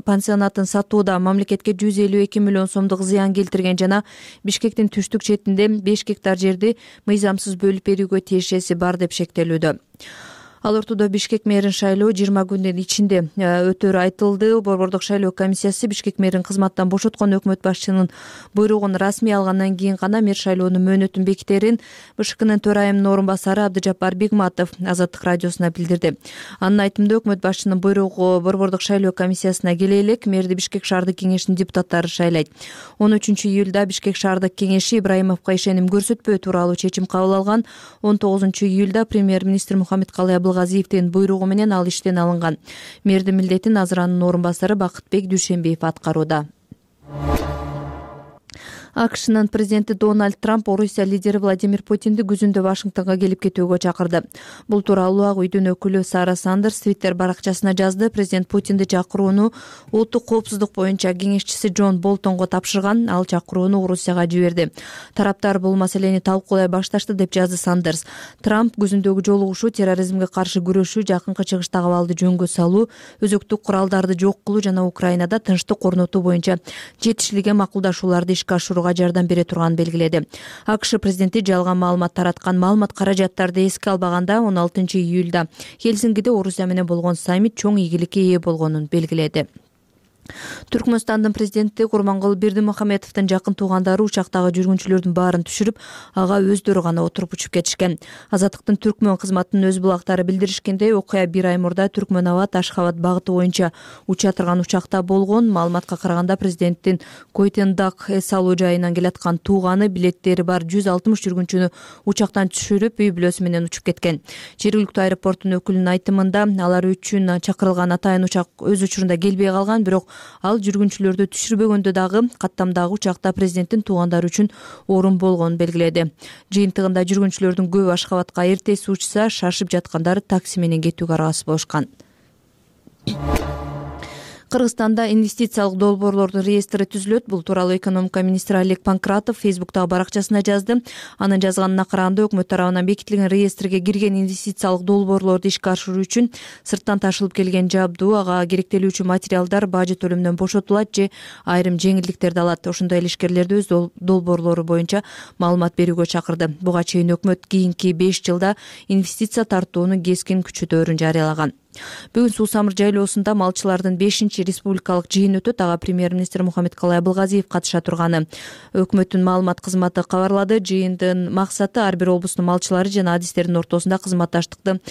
пансионатын сатууда мамлекетке 152 миллион сомдук зыян келтирген жана Бишкектин түштүк четинде 5 гектар жерди мыйзамсыз бөлүп берүүгө тиешеси бар деп шектелүүдө. Ал ортодо Бишкек мэрин шайлоо 20 күндүн ичинде өтөрү айтылды. Борбордук шайлоо комиссиясы Бишкек мэрин кызматтан бошоткон өкмөт башчынын буйругун расмий алгандан кийин гана мэр шайлоонун мөөнөтүн бекитерин БШКнын төрайымынын орун басары Абдыжаппар Бигматов Азаттык радиосуна билдирди. Анын айтымында өкмөт башчынын буйругу борбордук шайлоо комиссиясына келе элек мэрди Бишкек шаардык кеңешинин депутаттары шайлайт. 13-июлда Бишкек шаардык кеңеши Ибраимовго ишеним көрсөтпөө тууралуу чечим кабыл алган. 19-июлда премьер-министр Мухаммедкалый Абылгазиевдин буйругу менен ал иштен алынган. Мэрдин милдетин азыр анын орун басары Бакытбек Дүйшенбиев аткарууда. АКШнын президенти Дональд Трамп Орусия лидери Владимир Путинди күзүндө Вашингтонго келип кетүүгө чакырды. Бул тууралуу Ак үйдүн өкүлү Сара Сандерс Твиттер баракчасына жазды. Президент Путинди чакырууну улуттук коопсуздук боюнча кеңешчиси Джон Болтонго тапшырган. Ал чакырууну Орусияга жиберди. Тараптар бул маселени талкуулай башташты деп жазды Сандерс. Трамп күзүндөгү жолугушуу терроризмге каршы күрөшүү, жакынкы чыгыштагы абалды жөнгө салуу, өзөктүк куралдарды жок кылуу жана Украинада тынчтык орнотуу боюнча жетишилген макулдашууларды ишке ашырууга жардам бере турганын белгиледи. АКШ президенти жалган маалымат тараткан маалымат каражаттарды эске албаганда 16-июлда Хельсинкиде Орусия менен болгон саммит чоң ийгиликке ээ болгонун белгиледи. Түркмөнстандын президенти Курмангул Бердимухамедовдун жакын туугандары учактагы жүргүнчүлөрдүн баарын түшүрүп, ага өздөрү гана отуруп учуп кетишкен. Азаттыктын Түркмөн кызматынын өз булактары билдиришкендей, окуя 1 ай мурда Түркмөн Абад Ашхабад багыты боюнча уча турган учакта болгон. Маалыматка караганда президенттин Койтендак эс алуу жайынан келаткан тууганы билеттери бар 160 жүргүнчүнү учактан түшүрүп, үй бүлөсү менен учуп кеткен. Жергиликтүү аэропорттун өкүлүнүн айтымында, алар үчүн чакырылган атайын учак өз учурунда келбей калган, бирок ал жүргүнчүлөрдү түшүрбөгөндө дагы каттамдагы учакта президенттин туугандары үчүн орун болгонун белгиледи. Жыйынтыгында жүргүнчүлөрдүн көбү Ашхабадка эртеси учса, шашып жаткандары такси менен кетүүгө аргасыз болушкан. Кыргызстанда инвестициялык долбоорлордун реестри түзүлөт. Бул тууралуу экономика министри Олег Панкратов Фейсбуктагы баракчасына жазды. Анын жазганына караганда өкмөт тарабынан бекитилген реестрге кирген инвестициялык долбоорлорду ишке ашыруу үчүн сырттан ташылып келген жабдуу, ага керектелүүчү материалдар бажы төлөмдөн бошотулат же айрым жеңилдиктерди алат. Ошондой эле ишкерлерди өз долбоорлору боюнча маалымат берүүгө чакырды. Буга чейин өкмөт кийинки 5 жылда инвестиция тартууну кескин күчөтөөрүн жарыялаган. Бүгүн Суу Самыр жайлоосунда малчылардын 5-чи республикалык жыйыны өтөт. Ага премьер-министр Мухаммедкалый Абылгазиев катыша турганы өкмөттүн маалымат кызматы кабарлады. Жыйындын максаты ар бир облустун малчылары жана адистердин ортосунда кызматташтыкты,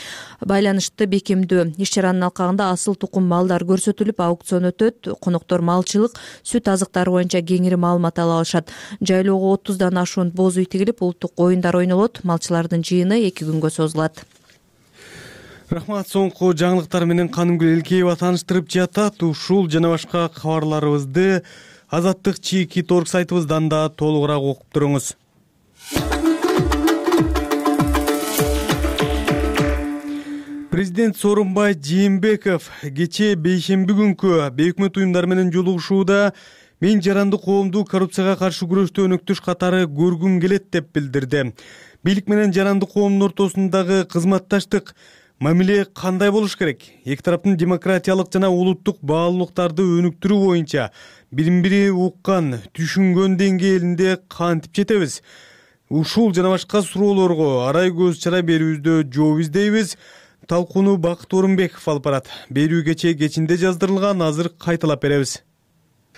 байланышты бекемдөө. Иш-чаранын алкагында асыл тукум малдар көрсөтүлүп, аукцион өтөт. Коноктор малчылык, сүт азыктары боюнча кеңири маалымат ала алышат. Жайлоого 30дан ашуун боз үй тигилип, улуттук оюндар ойнолот. Малчылардын жыйыны 2 күнгө созулат. Рахмат. Соңку жаңылыктар менен Канымгүл Элкеева тааныштырып жатат. Ушул жана башка кабарларыбызды Азаттык чийки торг сайтыбыздан да толугураак окуп туруңуз. Президент Сооронбай Жээнбеков кечээ бейшемби күнкү бейөкмөт уюмдар менен жолугушууда мен жаранды коомду коррупцияга каршы күрөштө өнөктөш катары көргүм келет деп билдирди. Бийлик менен жаранды коомдун ортосундагы кызматташтык мамиле кандай болуш керек? Эки тараптын демократиялык жана улуттук баалуулуктарды өнүктүрүү боюнча бирин-бири уккан, түшүнгөн деңгээлинде кантип жетебиз? Ушул жана башка суроолорго арай көз чара берүүбүздө жооп издейбиз. Талкууну Бакыт Орунбеков алып барат. Берүү кечинде жаздырылган, азыр кайталап беребиз.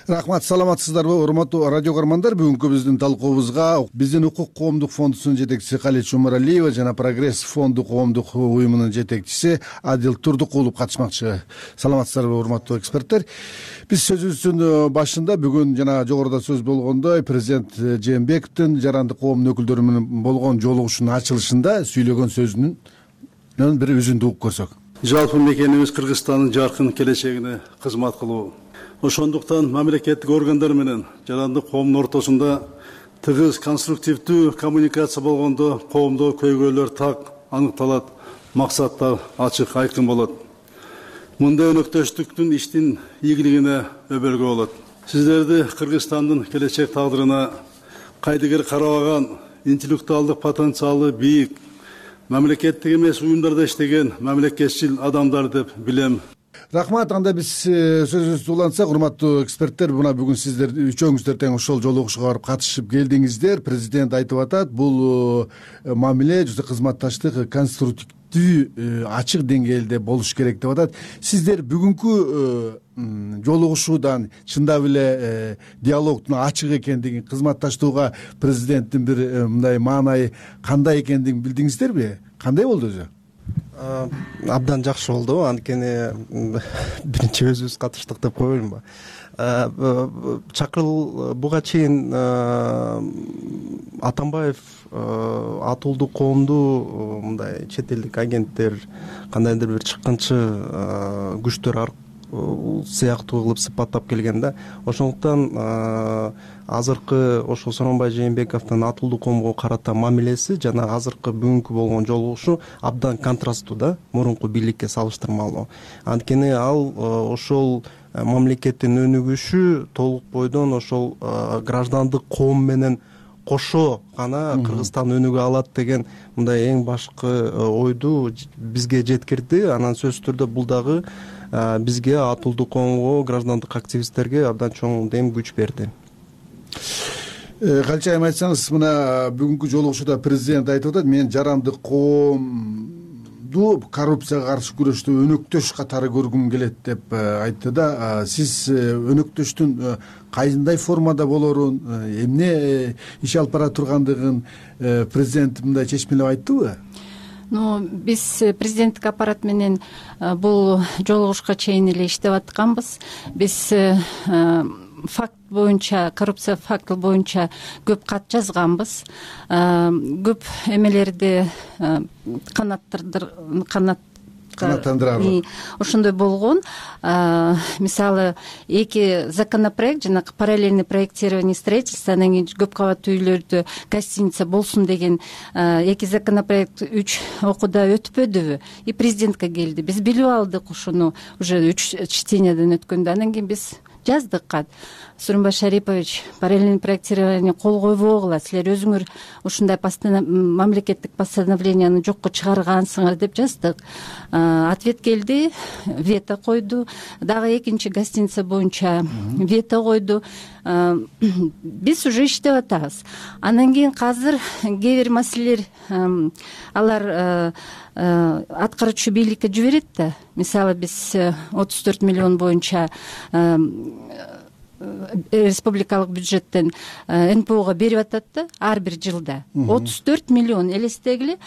Рахмат, саламатсыздарбы, урматтуу радио көрөрмандар. Бүгүнкү биздин талкуубузга биздин Укук коомдук фондусунун жетекчиси Калич Умаралиева жана Прогресс фонду коомдук уюмунун жетекчиси Адил Турдукулов катышмакчы. Саламатсыздарбы, урматтуу эксперттер. Биз сөзүбүздүн башында бүгүн жана жогоруда сөз болгондой президент Жээнбековдун жарандык коомдун өкүлдөрү менен болгон жолугушуунун ачылышында сүйлөгөн сөзүнүн бир үзүндү угуп көрсөк. Жалпы мекенибиз Кыргызстандын жаркын келечегине кызмат кылуу. Ошондуктан мамлекеттик органдар менен жарандык коомдун ортосунда тыгыз конструктивдүү коммуникация болгондо коомдо көйгөйлөр так аныкталат, максаттар ачык айкын болот. Мындай өнөктөштүктүн иштин ийгилигине өбөлгө болот. Сиздерди Кыргызстандын келечек тагдырына кайдыгер карабаган, интеллектуалдык потенциалы бийик, мамлекеттик эмес уюмдарда иштеген мамлекетчил адамдар деп билем. Рахмат. Анда биз сөзүбүздү улантсак, урматтуу эксперттер, мына бүгүн сиздер үчөөңүздөр тең ошол жолугушууга барып катышып келдиңиздер. Президент айтып атат, бул мамиле жүзө кызматташтык конструктивдүү ачык деңгээлде болуш керек деп атат. Сиздер бүгүнкү жолугушуудан чындап эле диалогдун ачык экендигин, кызматташтууга президенттин бир мындай маанайы кандай экендигин билдиңиздерби? Кандай болду өзү? Абдан жакшы болду. Анткени биринчи өзүбүз катыштык деп коеюнбу. Буга чейин Атамбаев атуулдуу коомду мындай чет элдик агенттер, кандайдыр бир чыккынчы күчтөр сыяктуу кылып сыпаттап келген да. Ошондуктан азыркы ошол Сооронбай Жээнбековдун атуулдуу коомго карата мамилеси жана азыркы бүгүнкү болгон жолугушуу абдан контрасттуу да, мурунку бийликке салыштырмалуу. Анткени ал ошол мамлекеттин өнүгүшү толук бойдон ошол граждандык коом менен кошо гана Кыргызстан өнүгө алат деген мындай эң башкы ойду бизге жеткирди. Анан сөзсүз түрдө бул дагы бизге, атуулдуу коомго, граждандык активисттерге абдан чоң дем күч берди. Калча айым айтсаңыз, мына бүгүнкү жолугушууда президент айтып атат, мен жарандык коомду коррупцияга каршы күрөштө өнөктөш катары көргүм келет деп айтты да. Сиз өнөктөштүн кайсындай формада болорун, эмне иш алып бара тургандыгын президент мындай чечмелеп айттыбы? Биз президенттик аппарат менен бул жолугушууга чейин эле иштеп атканбыз. Биз факт боюнча, коррупция факты боюнча көп кат жазганбыз. Көп эмелерди канааттандырарлык ошондой болгон. Мисалы 2 законопроект, жанагы параллельный проектирование строительства, анан кийин көп кабаттуу үйлөрдө гостиница болсун деген 2 законопроект 3 окууда өтпөдүбү, и президентке келди. Биз билип алдык ошону уже 3 чтениядан өткөндө. Анан кийин биз жаздык кат. Сооронбай Шарипович, параллельный проектирование кол койбогула, силер өзүңөр ушундай мамлекеттик постановленияны жокко чыгаргансыңар деп жаздык. Ответ келди, вето койду. Дагы 2 гостиница боюнча вето койду. Биз уже иштеп атабыз. Анан кийин азыр кээ бир маселелер алар аткаруучу бийликке жиберет да. Мисалы биз 34 миллион боюнча республикалык бюджеттен НПОго берип атат да, ар бир жылда 34 миллион. Элестегиле,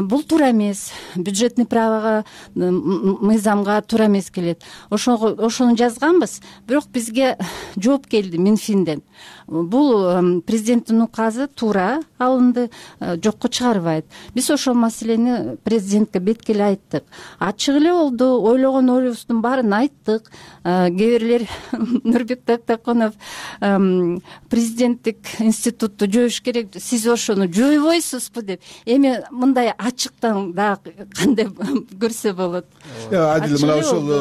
бул туура эмес. Бюджетный правога, мыйзамга туура эмес келет. Ошону жазганбыз, бирок бизге жооп келди Минфинден. Бул президенттин указы туура алынды, жокко чыгарбайт. Биз ошол маселени президентке беткеле айттык. Ачык эле болду, ойлогон оюбуздун баарын айттык. Кээ бирлер Нурбек Тактакунов президенттик институтту жоош керек, сиз ошону жойбойсузбу деп. Эми мындай ачыктан дагы кандай көрсө болот. Адил, мына ошол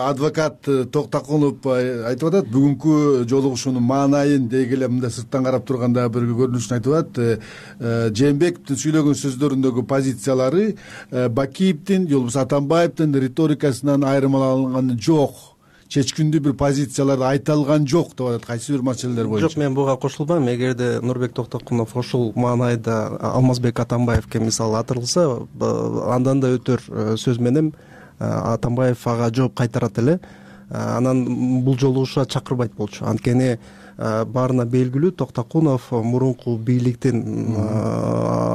адвокат Токтакунов айтып атат, бүгүнкү жолугушуунун маанайын дегеле мындай сырттан карап турганда бир көрүнүшүн айтып атат. Жээнбековдун сүйлөгөн сөздөрүндөгү позициялары Бакиевдин, же болбосо Атамбаевдин риторикасынан айырмаланганы жок. Чечкиндүү бир позицияларды айта алган жок деп атат кайсы бир маселелер боюнча. Жок, мен буга кошулбайм. Эгерде Нурбек Токтокунов ошол маанайда Алмазбек Атамбаевке мисалы атырылса, андан да өтөр сөз менен Атамбаев ага жооп кайтарат эле. Анан бул жолугушууга чакырбайт болчу. Анткени баарына белгилүү, Токтокунов мурунку бийликтин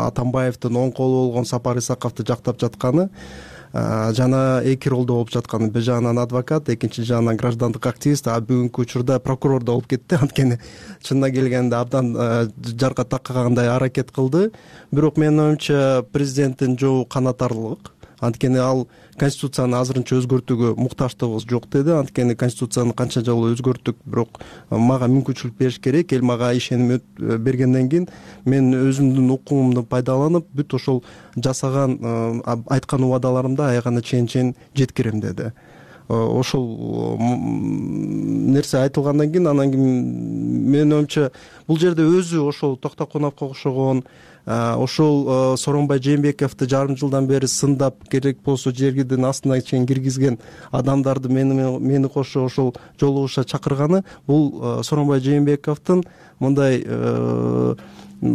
Атамбаевдин оң колу болгон Сапар Исаковду жактап жатканы жана эки ролдо болуп жатканы, бир жагынан адвокат, экинчи жагынан граждандык активист, бүгүнкү учурда прокурор да болуп кетти. Анткени чынына келгенде абдан жарга таккагандай аракет кылды. Бирок менин оюмча президенттин жообу канааттарлык. Анткени ал конституцияны азырынча өзгөртүүгө муктаждыгыбыз жок деди. Анткени конституцияны канча жолу өзгөрттүк, бирок мага мүмкүнчүлүк бериш керек. Эл мага ишеним бергенден кийин мен өзүмдүн укугумду пайдаланып, бүт ошол жасаган айткан убадаларымды аягына чейин жеткирем деди. Ошол нерсе айтылгандан кийин, анан кийин менин оюмча бул жерде өзү ошол Токтокуновго окшогон, ошол Сооронбай Жээнбековду жарым жылдан бери сындап, керек болсо жергидин астына чейин киргизген адамдарды мени кошо ошол жолугушууга чакырганы, бул Сооронбай Жээнбековдун мындай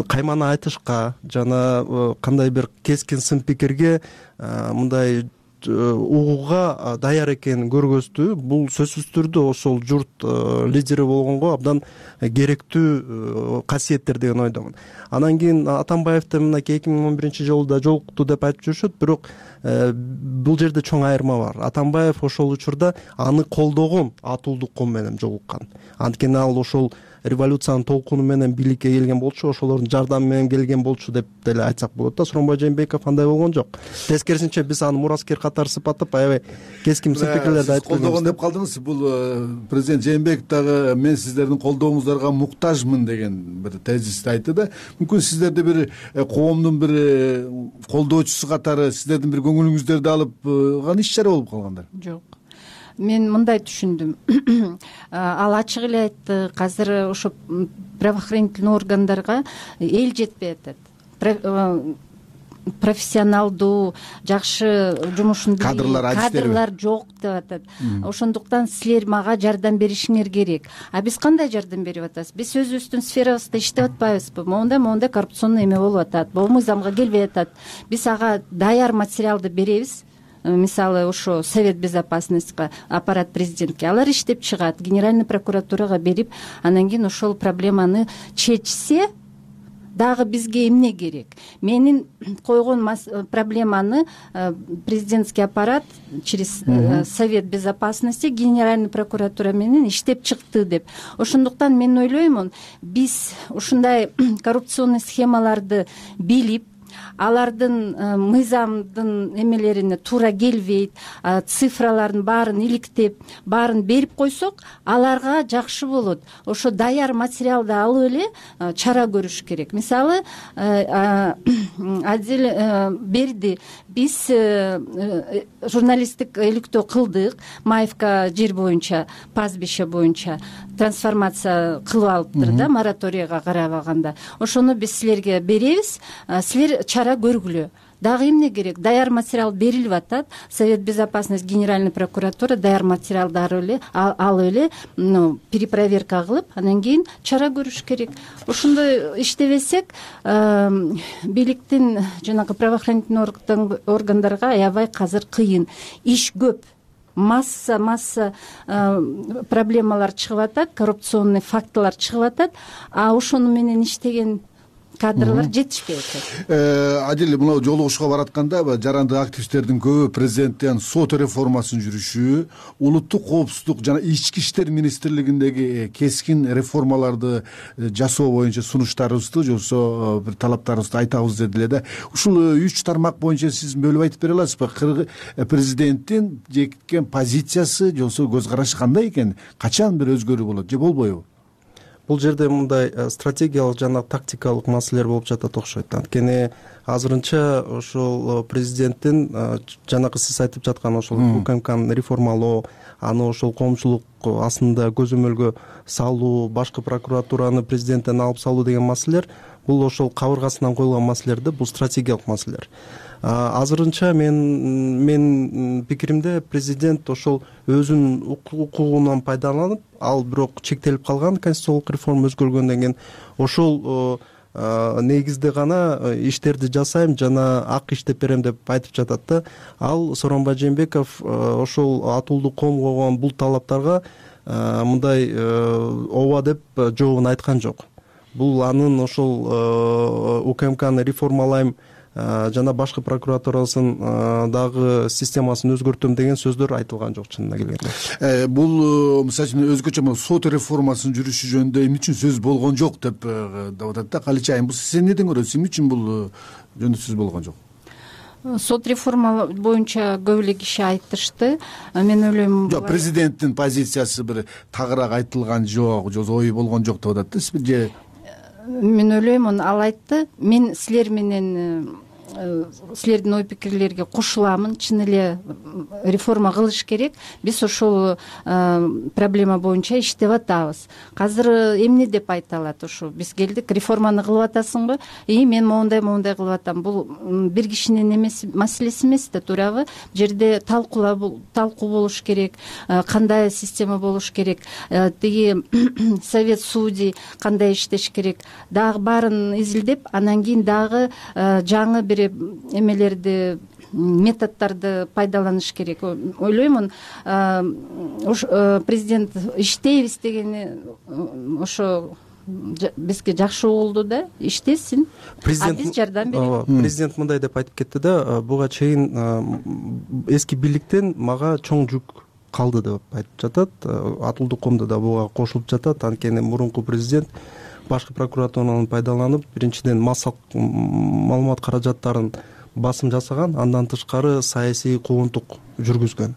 каймана айтышка жана кандай бир кескин сын пикирге мындай угууга даяр экенин көргөздү. Бул сөзсүз түрдө ошол журт лидери болгонго абдан керектүү касиеттер деген ойдомун. Анан кийин Атамбаевди мынакей 2011-жылы да жолукту деп айтып жүрүшөт, бирок бул жерде чоң айырма бар. Атамбаев ошол учурда аны колдогон Атуулдук ком менен жолуккан. Анткени ал ошол революциянын толкуну менен бийликке келген болчу, ошолордун жардамы менен келген болчу деп деле айтсак болот да. Сооронбай Жээнбеков андай болгон жок. Тескерисинче биз аны мураскер катары сыпаттап, аябай кескин сын пикирлерди айтып колдогон деп калдыңыз. Бул президент Жээнбеков дагы мен сиздердин колдооңуздарга муктажмын деген бир тезисти айтты да. Мүмкүн сиздерди бир коомдун бир колдоочусу катары сиздердин бир көңүлүңүздөрдү алып иш чара болуп калгандар. Жок. Мен мындай түшүндүм. Ал ачык эле айтты, азыр ошо правоохранительный органдарга эл жетпей атат. Профессионалдуу, жакшы жумушун кадрлар жок деп атат. Ошондуктан силер мага жардам беришиңер керек. Биз кандай жардам берип атабыз? Биз өзүбүздүн сферабызда иштеп атпайбызбы? Моундай коррупционный эме болуп атат, могу мыйзамга келбей атат. Биз ага даяр материалды беребиз. Мисалы ошо Совет безопасностьга, аппарат президентке алар иштеп чыгат, Генеральный прокуратурага берип, анан кийин ошол проблеманы чечсе дагы бизге эмне керек? Менин койгон проблеманы президентский аппарат через Совет безопасности, Генеральный прокуратура менен иштеп чыкты деп. Ошондуктан мен ойлоймун, биз ушундай коррупционный схемаларды билип, алардын мыйзамдын эмелерине туура келбейт, цифраларын баарын иликтеп баарын берип койсок, аларга жакшы болот. Ошо даяр материалды алып эле чара көрүш керек. Мисалы, Адил берди, биз журналисттик иликтөө кылдык, Маевка жер боюнча, пастбище боюнча трансформация кылып алыптыр да, мораторийга карабаганда. Ошону биз силерге беребиз, силер чара көргүлө. Дагы эмне керек? Даяр материал берилип атат. Совет безопасности, Генеральный прокуратура даяр материалдарды алып эле перепроверка кылып, анан кийин чара көрүш керек. Ошондой иштебесек, бийликтин жанагы правоохранительный органдарга аябай казыр кыйын. Иш көп. Масса проблемалар чыгып атат, коррупционный фактылар чыгып атат, а ошону менен иштеген кадрлар жетишпей атат. Адил, мына жолугушууга баратканда жарандык активисттердин көбү президенттен сот реформасын жүрүшү, улуттук коопсуздук жана ички иштер министрлигиндеги кескин реформаларды жасоо боюнча сунуштарыбызды, же болбосо бир талаптарыбызды айтабыз дедиле да. Ушул 3 тармак боюнча сиз бөлүп айтып бере аласызбы? Президенттин жеккен позициясы, же болбосо көз карашы кандай экен? Качан бир өзгөрүү болот же болбойбу? Бул жерде мындай стратегиялык жана тактикалык маселелер болуп жатат окшойт. Анткени азырынча ошол президенттин жанагы сиз айтып жаткан ошол УКМКны реформалоо, аны ошол коомчулук астында көзөмөлгө салуу, башкы прокуратураны президенттен алып салуу деген маселелер бул ошол кабыргасынан коюлган маселелер да, бул стратегиялык маселелер. Азырынча мен пикиримде президент ошол өзүнүн укугунан пайдаланып, ал бирок чектелип калган конституциялык реформа өзгөргөндөн кийин ошол негизде гана иштерди жасайм жана ак иштеп берем деп айтып жатат да. Ал Сооронбай Жээнбеков ошол атуулду ком койгон бул талаптарга мындай ооба деп жообун айткан жок. Бул анын ошол УКМКны реформалайм жана башкы прокуратурасын дагы системасын өзгөртөм деген сөздөр айтылган жок чынына келгенде. Бул мисалы үчүн өзгөчө сот реформасын жүрүшү жөнүндө эмне үчүн сөз болгон жок деп атат да. Калычы айым, бул сиз эмнеден көрөсүз? Эмне үчүн бул жөнүндө сөз болгон жок? Сот реформа боюнча көп эле киши айтышты. Мен ойлойм, жок, президенттин позициясы бир тагыраак айтылган жок, же ою болгон жок деп атат да. Сиз же мен ойлойм, ал айтты. Мен силер менен силердин ой пикирлерге кошуламын. Чын эле реформа кылыш керек. Биз ошол проблема боюнча иштеп атабыз. Азыр эмне деп айта алат? Ошо биз келдик, реформаны кылып атасыңбы? Мен моундай кылып атам. Бул бир кишинин маселеси эмес да, туурабы? Жерде талкуу болуш керек, кандай система болуш керек, тиги совет судей кандай иштеш керек, дагы баарын изилдеп, анан кийин дагы жаңы бир эмелерди, методдорду пайдаланыш керек. Ойлоймун, президент иштейбиз дегени ошо бизге жакшы угулду да, иштесин, биз жардам берели. Президент мындай деп айтып кетти да, буга чейин эски бийликтен мага чоң жүк калды деп айтып жатат. Атуулдук комдо да буга кошулуп жатат. Анткени мурунку президент башкы прокуратураны пайдаланып, биринчиден маалымат каражаттарын басым жасаган, андан тышкары саясий куугунтук жүргүзгөн.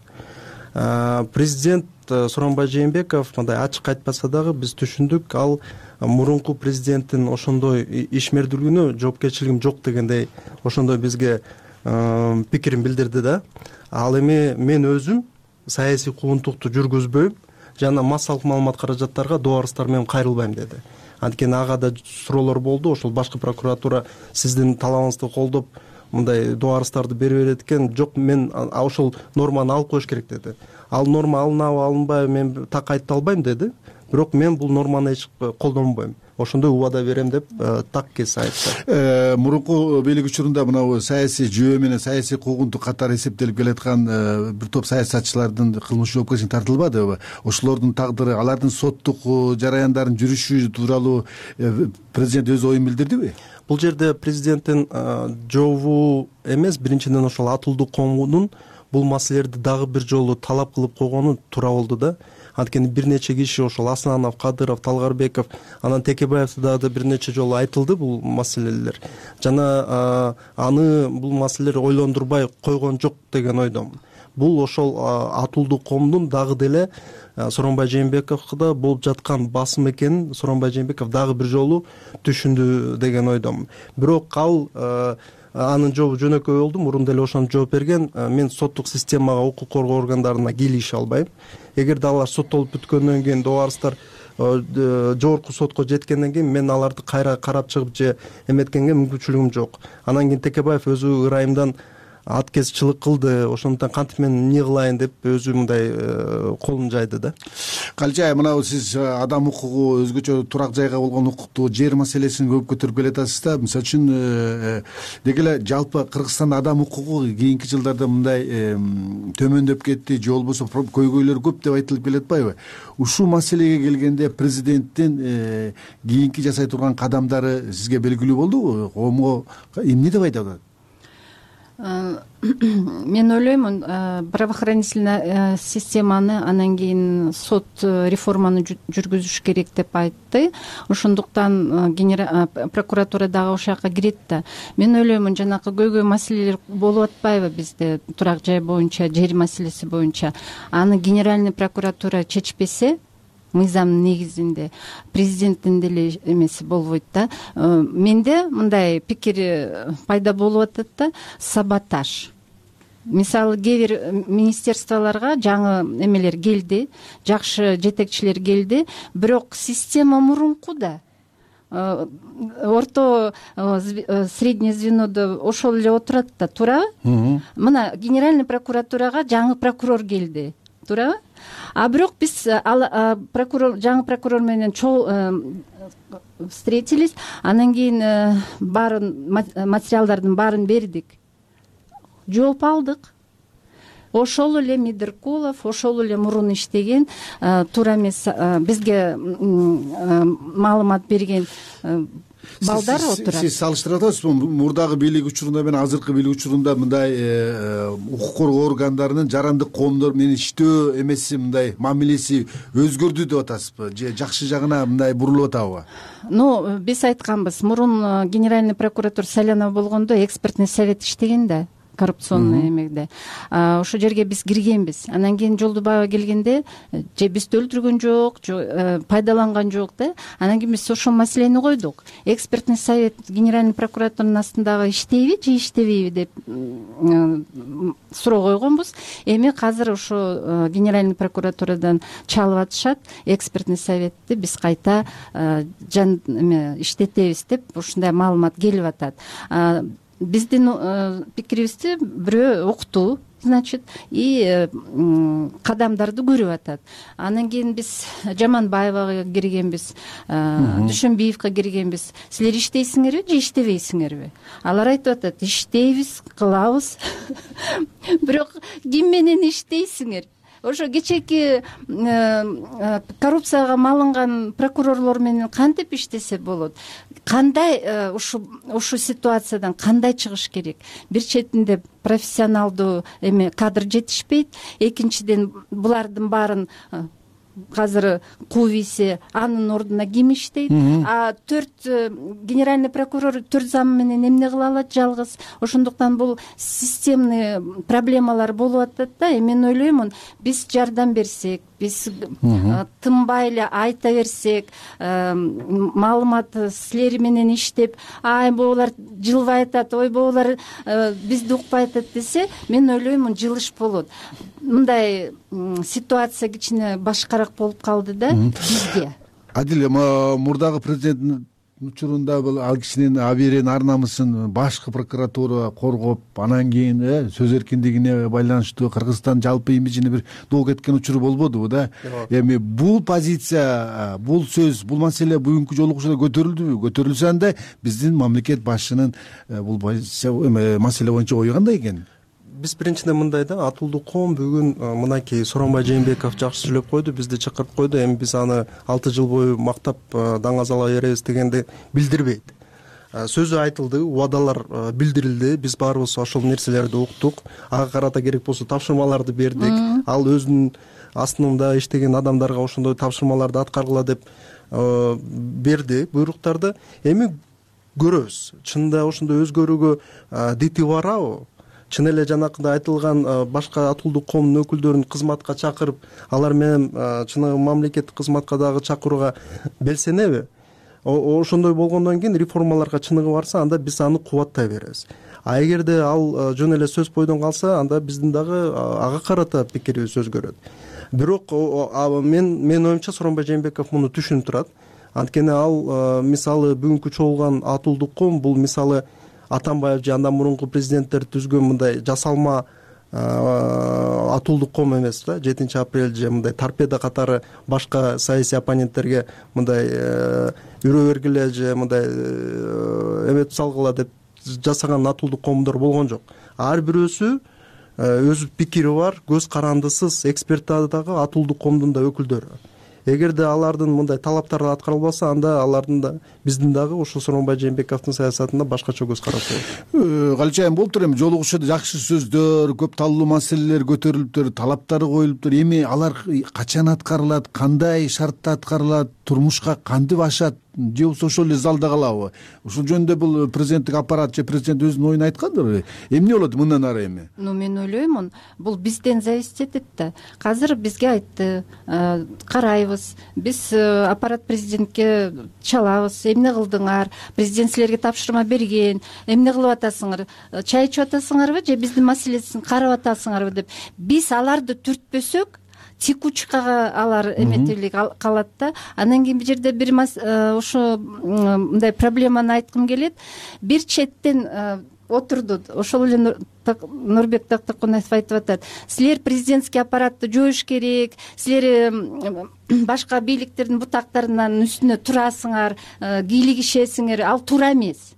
Президент Сооронбай Жээнбеков мындай ачык айтпаса дагы биз түшүндүк, ал мурунку президенттин ошондой ишмердүүлүгүнө жоопкерчилигим жок дегендей ошондой бизге пикирин билдирди да. Ал эми мен өзүм саясий куугунтукту жүргүзбөйм жана массалык маалымат каражаттарга дубарыстар менен кайрылбайм деди. Анткени ага да суроолор болду. Ошол башкы прокуратура сиздин талабыңызды колдоп мындай дубарыстарды бере берет экен. Жок, мен ошол норманы алып коюш керек деди. Ал норма алынабы алынбайбы мен так айта албайм деди. Бирок мен бул норманы эч колдонбойм. Ошондой убада берем деп так кесе айтты. Мурунку бийлик учурунда мына саясий жөө менен саясий куугунтук катары эсептелип келаткан бир топ саясатчылардын кылмыш жоопкерчиликке тартылбадыбы? Ошолордун тагдыры, алардын соттук жараяндарын жүрүшү тууралуу президент өз оюн билдирдиби? Бул жерде президенттин жообу эмес, биринчиден ошол атуулдук комдун бул маселелерди дагы бир жолу талап кылып койгону туура болду да. анткени бир нече киши ошол Аснанов, Кадыров, Талгарбеков, анан Текебаевда да бир нече жолу айтылды бул маселелер. Жана аны бул маселелер ойлондурбай койгон жок деген ойдомун. Бул ошол Атуулдуу коомдун дагы деле Сооронбай Жээнбековго болуп жаткан басым экенин Сооронбай Жээнбеков дагы бир жолу түшүндү деген ойдомун. Бирок ал анын жообу жөнөкөй болду, мурун деле ошону жооп берген. Мен соттук системага, укук коргоо органдарына кийлеши албайм. Эгерде алар соттолуп бүткөндөн кийин добарыстар жогорку сотко жеткенден кийин мен аларды кайра карап чыгып же эметкенге мүмкүнчүлүгүм жок. Анан кийин Текебаев өзү ырайымдан аткезчилик кылды, ошондуктан кантип мен эмне кылайын деп өзү мындай колун жайды да. Калчай, мына сиз адам укугу, өзгөчө турак жайга болгон укукту, жер маселесин көп көтөрүп келатасыз да. Мисалы үчүн деги эле жалпы Кыргызстанда адам укугу кийинки жылдарда мындай төмөндөп кетти, же болбосо көйгөйлөр көп деп айтылып келатпайбы? Ушул маселеге келгенде президенттин кийинки жасай турган кадамдары сизге белгилүү болдубу? Коомго эмне деп айта алат? Мен ойлоймун, правоохранительный системаны, анан кийин сот реформаны жүргүзүш керек деп айтты. Ошондуктан прокуратура дагы ошол жака кирет да. Мен ойлоймун, жанакы көйгөй маселелер болуп атпайбы бизде турак жай боюнча, жер маселеси боюнча. Аны генеральный прокуратура чечпесе, мыйзамдын негизинде президенттин деле эмеси болбойт да. Менде мындай пикир пайда болуп атат да, саботаж. Мисалы, кээ бир министерстволорго жаңы эмелер келди, жакшы жетекчилер келди, бирок система мурунку да. Орто среднее звенодо ошол эле отурат да, туурабы? Мына генеральный прокуратурага жаңы прокурор келди, туурабы? А бирок биз жаңы прокурор менен встретились, анан кийин баарын материалдардын баарын бердик, жооп алдык. Ошол эле Медеркулов, ошол эле мурун иштеген, туура эмес бизге маалымат берген балдар отурат. Сиз салыштыра атасызбы? Мурдагы бийлик учурунда менен азыркы бийлик учурунда мындай укук коргоо органдарынын жарандык коомдор менен иштөө эмеси, мындай мамилеси өзгөрдү деп атасызбы? Же жакшы жагына мындай бурулуп атабы? Биз айтканбыз, мурун генеральный прокуратура Салянов болгондо экспертный совет иштеген да, коррупционный эмеде. Ошол жерге биз киргенбиз. Анан кийин Жолдубаева келгенде, же бизди өлтүргөн жок, же пайдаланган жок да. Анан кийин биз ошол маселени койдук. Экспертный совет генеральный прокуратуранын астындагы иштейби же иштебейби деп суроо койгонбуз. Эми азыр ошо генеральный прокуратурадан чалып атышат, экспертный советти биз кайта иштетебиз деп ушундай маалымат келип атат. Биздин пикирибизди бирөө укту, значит, и кадамдарды көрүп атат. Анан кийин биз Жаманбаевага киргенбиз, Дүйшөнбиевге киргенбиз. Силер иштейсиңерби же иштебейсиңерби? Алар айтып атат, иштейбиз, кылабыз. Бирок ким менен иштейсиңер? Ошо кечээки коррупцияга малынган прокурорлор менен кантип иштесе болот? Кандай ушул ситуациядан кандай чыгыш керек? Бир четинде профессионалдуу кадр жетишпейт, экинчиден булардын баарын азыр кууйсе, анын ордуна ким иштейт? А 4 генеральный прокурор 4 зам менен эмне кыла алат жалгыз? Ошондуктан бул системный проблемалар болуп атат да. Мен ойлоймун, биз жардам берсек, биз тынбай эле айта берсек, маалымат силер менен иштеп, ай булар жылбай атат, ой булар бизди укпай атат десе, мен ойлоймун, жылыш болот. Мындай ситуация кичине башкараак болуп калды да бизге. Адил, мурдагы президенттин учурунда бул ал кишинин абийирин, ар намысын башкы прокуратура коргоп, анан кийин сөз эркиндигине байланыштуу Кыргызстан жалпы имиджине бир доо кеткен учуру болбодубу да? Эми бул позиция, бул сөз, бул маселе бүгүнкү жолугушууда көтөрүлдүбү? Көтөрүлсө анда биздин мамлекет башчынын бул маселе боюнча ою кандай экен? Биз биринчиден мындай да, Атуулдуу коом бүгүн мынакей Сооронбай Жээнбеков жакшы сүйлөп койду, бизди чакырып койду. Эми биз аны 6 жыл бою мактап даңазалай беребиз дегенди билдирбейт. сөзү айтылды, убадалар билдирилди, биз баарыбыз ошол нерселерди уктук, ага карата керек болсо тапшырмаларды бердик. Ал өзүнүн астында иштеген адамдарга ошондой тапшырмаларды аткаргыла деп берди буйруктарды. Эми көрөбүз, чынында ошондой өзгөрүүгө дити барабы? Чын эле жанакындай айтылган башка атуулдук коомдун өкүлдөрүн кызматка чакырып, алар менен чыныгы мамлекеттик кызматка дагы чакырууга белсенеби? Ошондой болгондон кийин реформаларга чыныгы барса, анда биз аны кубаттай беребиз. А эгерде ал жөн эле сөз бойдон калса, анда биздин дагы ага карата пикирибиз өзгөрөт. Бирок менин оюмча Сооронбай Жээнбеков муну түшүнүп турат. Анткени ал мисалы бүгүнкү чогулган атуулдук коом бул мисалы Атамбаев же андан мурунку президенттер түзгөн мындай жасалма атуулдук коом эмес да. 7 апрель же мындай торпеда катары башка саясий оппоненттерге мындай үрө бергиле же мындай эметип салгыла деп жасаган атуулдук коомдор болгон жок. Ар бирөөсү өз пикири бар, көз карандысыз экспертадагы атуулдук коомдун да өкүлдөрү. Эгерде алардын мындай талаптары аткарылбаса, анда алардын да биздин дагы ошо Сооронбай Жээнбековдун саясатында башкача көз карашы болот. Галчайым болуптур, эми жолугушууда жакшы сөздөр, көп таллуу маселелер көтөрүлүптүр, талаптары коюлуптур. Эми алар качан аткарылат, кандай шартта аткарылат, турмушка кантип ашат, же болбосо ошол эле залда калабы? Ушул жөнүндө бул президенттик аппарат же президент өзүнүн оюн айткандыр. Эмне болот мындан ары эми? Мен ойлоймун, бул бизден зависить этет да. Азыр бизге айтты, карайбыз, биз аппарат президентке чалабыз, эмне кылдыңар, президент силерге тапшырма берген, эмне кылып атасыңар, чай ичип атасыңарбы же биздин маселесин карап атасыңарбы деп. Биз аларды түртпөсөк, текучкага алар эметелик калат да. Андан кийин бул жерде бир ошо мындай проблеманы айткым келет. Бир четтен отурду, ошол эле Нурбек Тактакунаев айтып атат. Силер президентский аппаратты жоюш керек, силер башка бийликтердин бутактарынын үстүнө турасыңар, кийлигишесиңер. Ал туура эмес.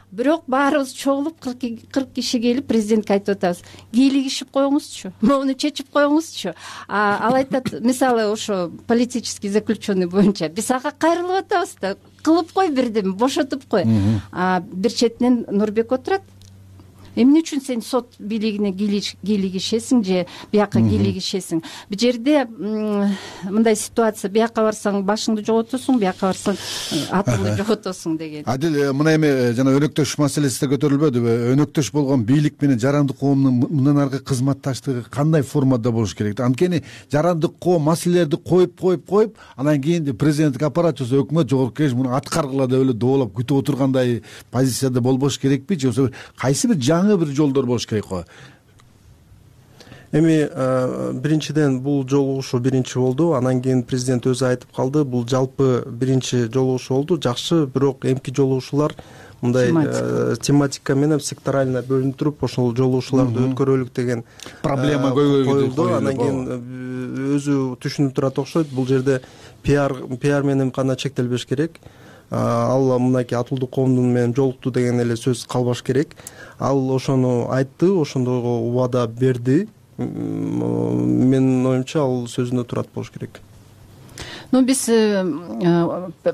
Бирок баарыбыз чогулуп 40 киши келип президентке айтып атабыз. Кийлигишип коюңузчу, моуну чечип коюңузчу. Ал айтат, мисалы ошо политический заключенный боюнча биз ага кайрылып атабыз да, кылып кой бирдеме, бошотуп кой. Бир четинен Нурбек отурат. Эмне үчүн сен сот бийлигине кийлигишесиң же бияка кийлигишесиң? Бул жерде мындай ситуация, бияка барсаң башыңды жоготосуң, бияка барсаң атыңды жоготосуң деген. Адил, мына эми жана өнөктөш маселеси да көтөрүлбөдүбү? Өнөктөш болгон бийлик менен жарандык коомдун мындан аркы кызматташтыгы кандай формада болуш керек? Анткени жарандык коом маселелерди коюп, анан кийин президенттик аппарат же өкмөт жогорку кеңеш муну аткаргыла деп эле доолоп күтүп отургандай позицияда болбош керекпи? Же болбосо кайсы бир жаңы бир жолдор болуш керек го? Эми биринчиден бул жолугушуу биринчи болду, анан кийин президент өзү айтып калды, бул жалпы биринчи жолугушуу болду. Жакшы, бирок эмки жолугушуулар мындай тематика менен секторально бөлүнүп туруп, ошол жолугушууларды өткөрөлүк деген проблема коюлду. Анан кийин өзү түшүнүп турат окшойт. Бул жерде пиар менен гана чектелбеш керек. Ал мынакей атуулдук коомдун менен жолукту деген эле сөз калбаш керек. Ал ошону айтты, ошондойго убада берди. Менин оюмча ал сөзүндө турат болуш керек. Биз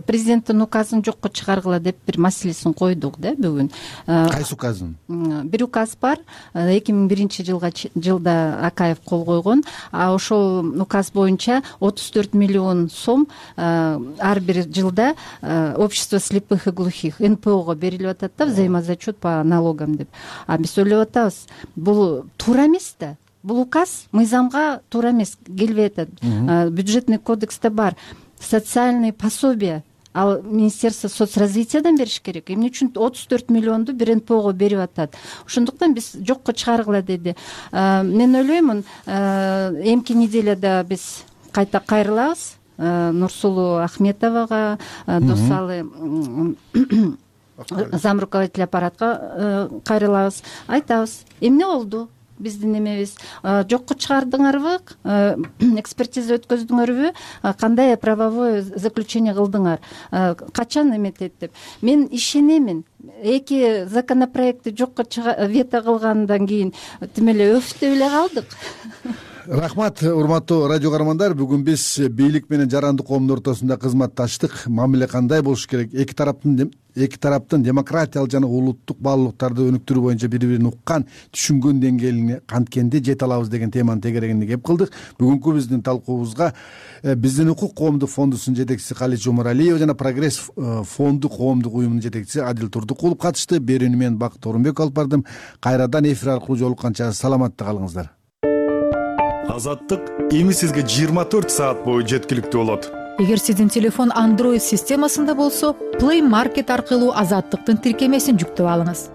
президенттин указын жокко чыгаргыла деп бир маселесин койдук да бүгүн. Кайсы указын? Бир указ бар. 2001 жылда Акаев кол койгон. Ошол указ боюнча 34 миллион сом ар бир жылда общество слепых и глухих НПОго берилип атат да, взаимозачет по налогам деп. Биз ойлоп атабыз, бул туура эмес да. Бул указ мыйзамга туура эмес, келбей атат. Бюджетный кодексте бар. Социальные пособия ал Министерство соцразвитиядан бериш керек. Эмне үчүн 34 миллионду бир НПОго берип атат? Ошондуктан биз жокко чыгаргыла деди. Мен ойлоймун, эмки неделяда биз кайта кайрылабыз Нурсулуу Ахметовага, Досалы зам руководитель аппаратка кайрылабыз, айтабыз, эмне болду? Биздин эмебиз жокко чыгардыңарбы, экспертиза өткөздүңөрбү, кандай правовое заключение кылдыңар, качан эметет деп. Мен ишенемин, эки законопроектти жокко вето кылгандан кийин тим эле өфтөп эле калдык. Рахмат, урматтуу радио каармандар. Бүгүн биз бийлик менен жарандык коомдун ортосунда кызматташтык мамиле кандай болуш керек, эки тараптын демократиялык жана улуттук баалуулуктарды өнүктүрүү боюнча бири бирин уккан, түшүнгөн деңгээлине канткенде жете алабыз деген теманын тегерегинде кеп кылдык. Бүгүнкү биздин талкуубузга биздин укук коомдук фондусунун жетекчиси Калеч Омаралиева жана Прогресс фонду коомдук уюмунун жетекчиси Адил Турдукулов катышты. Берүүнү мен Бакыт Орунбек алып бардым. Кайрадан эфир аркылуу жолукканча саламатта калыңыздар. Азаттык эми сизге 24 саат бою жеткиликтүү болот. Эгер сиздин телефон Android системасында болсо, Play Market аркылуу Азаттыктын тиркемесин жүктөп алыңыз.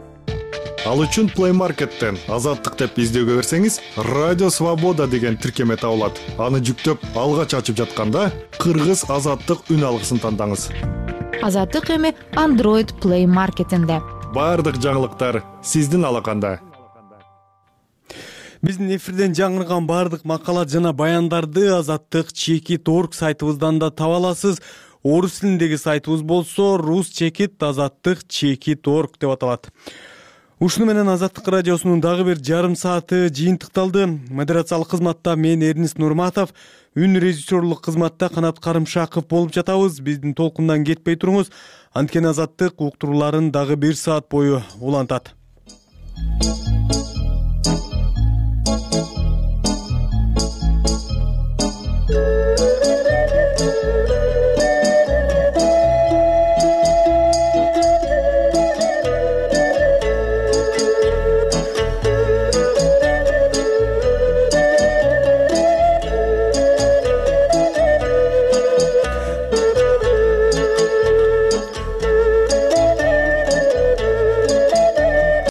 Ал үчүн Play Market'тен Азаттык деп издөөгө берсеңиз, Радио Свобода деген тиркеме табылат. Аны жүктөп алгач ачып жатканда Кыргыз Азаттык үн алгысын тандаңыз. Азаттык эми Android Play Market'инде. Бардык жаңылыктар сиздин алаканда. Биздин эфирден жаңырган бардык макалат жана баяндарды Азаттык.org сайтыбыздан да таба аласыз. Орус тилиндеги сайтыбыз болсо rus.azаттык.org деп аталат. Ушуну менен Азаттык радиосунун дагы бир жарым сааты жыйынтыкталды. Модерациялык кызматта мен Эрнис Нурматов, үн режиссерлук кызматта Канат Карымшаков болуп жатабыз. Биздин толкундан кетпей туруңуз. Анткени Азаттык уктурууларын дагы 1 саат бою улантат.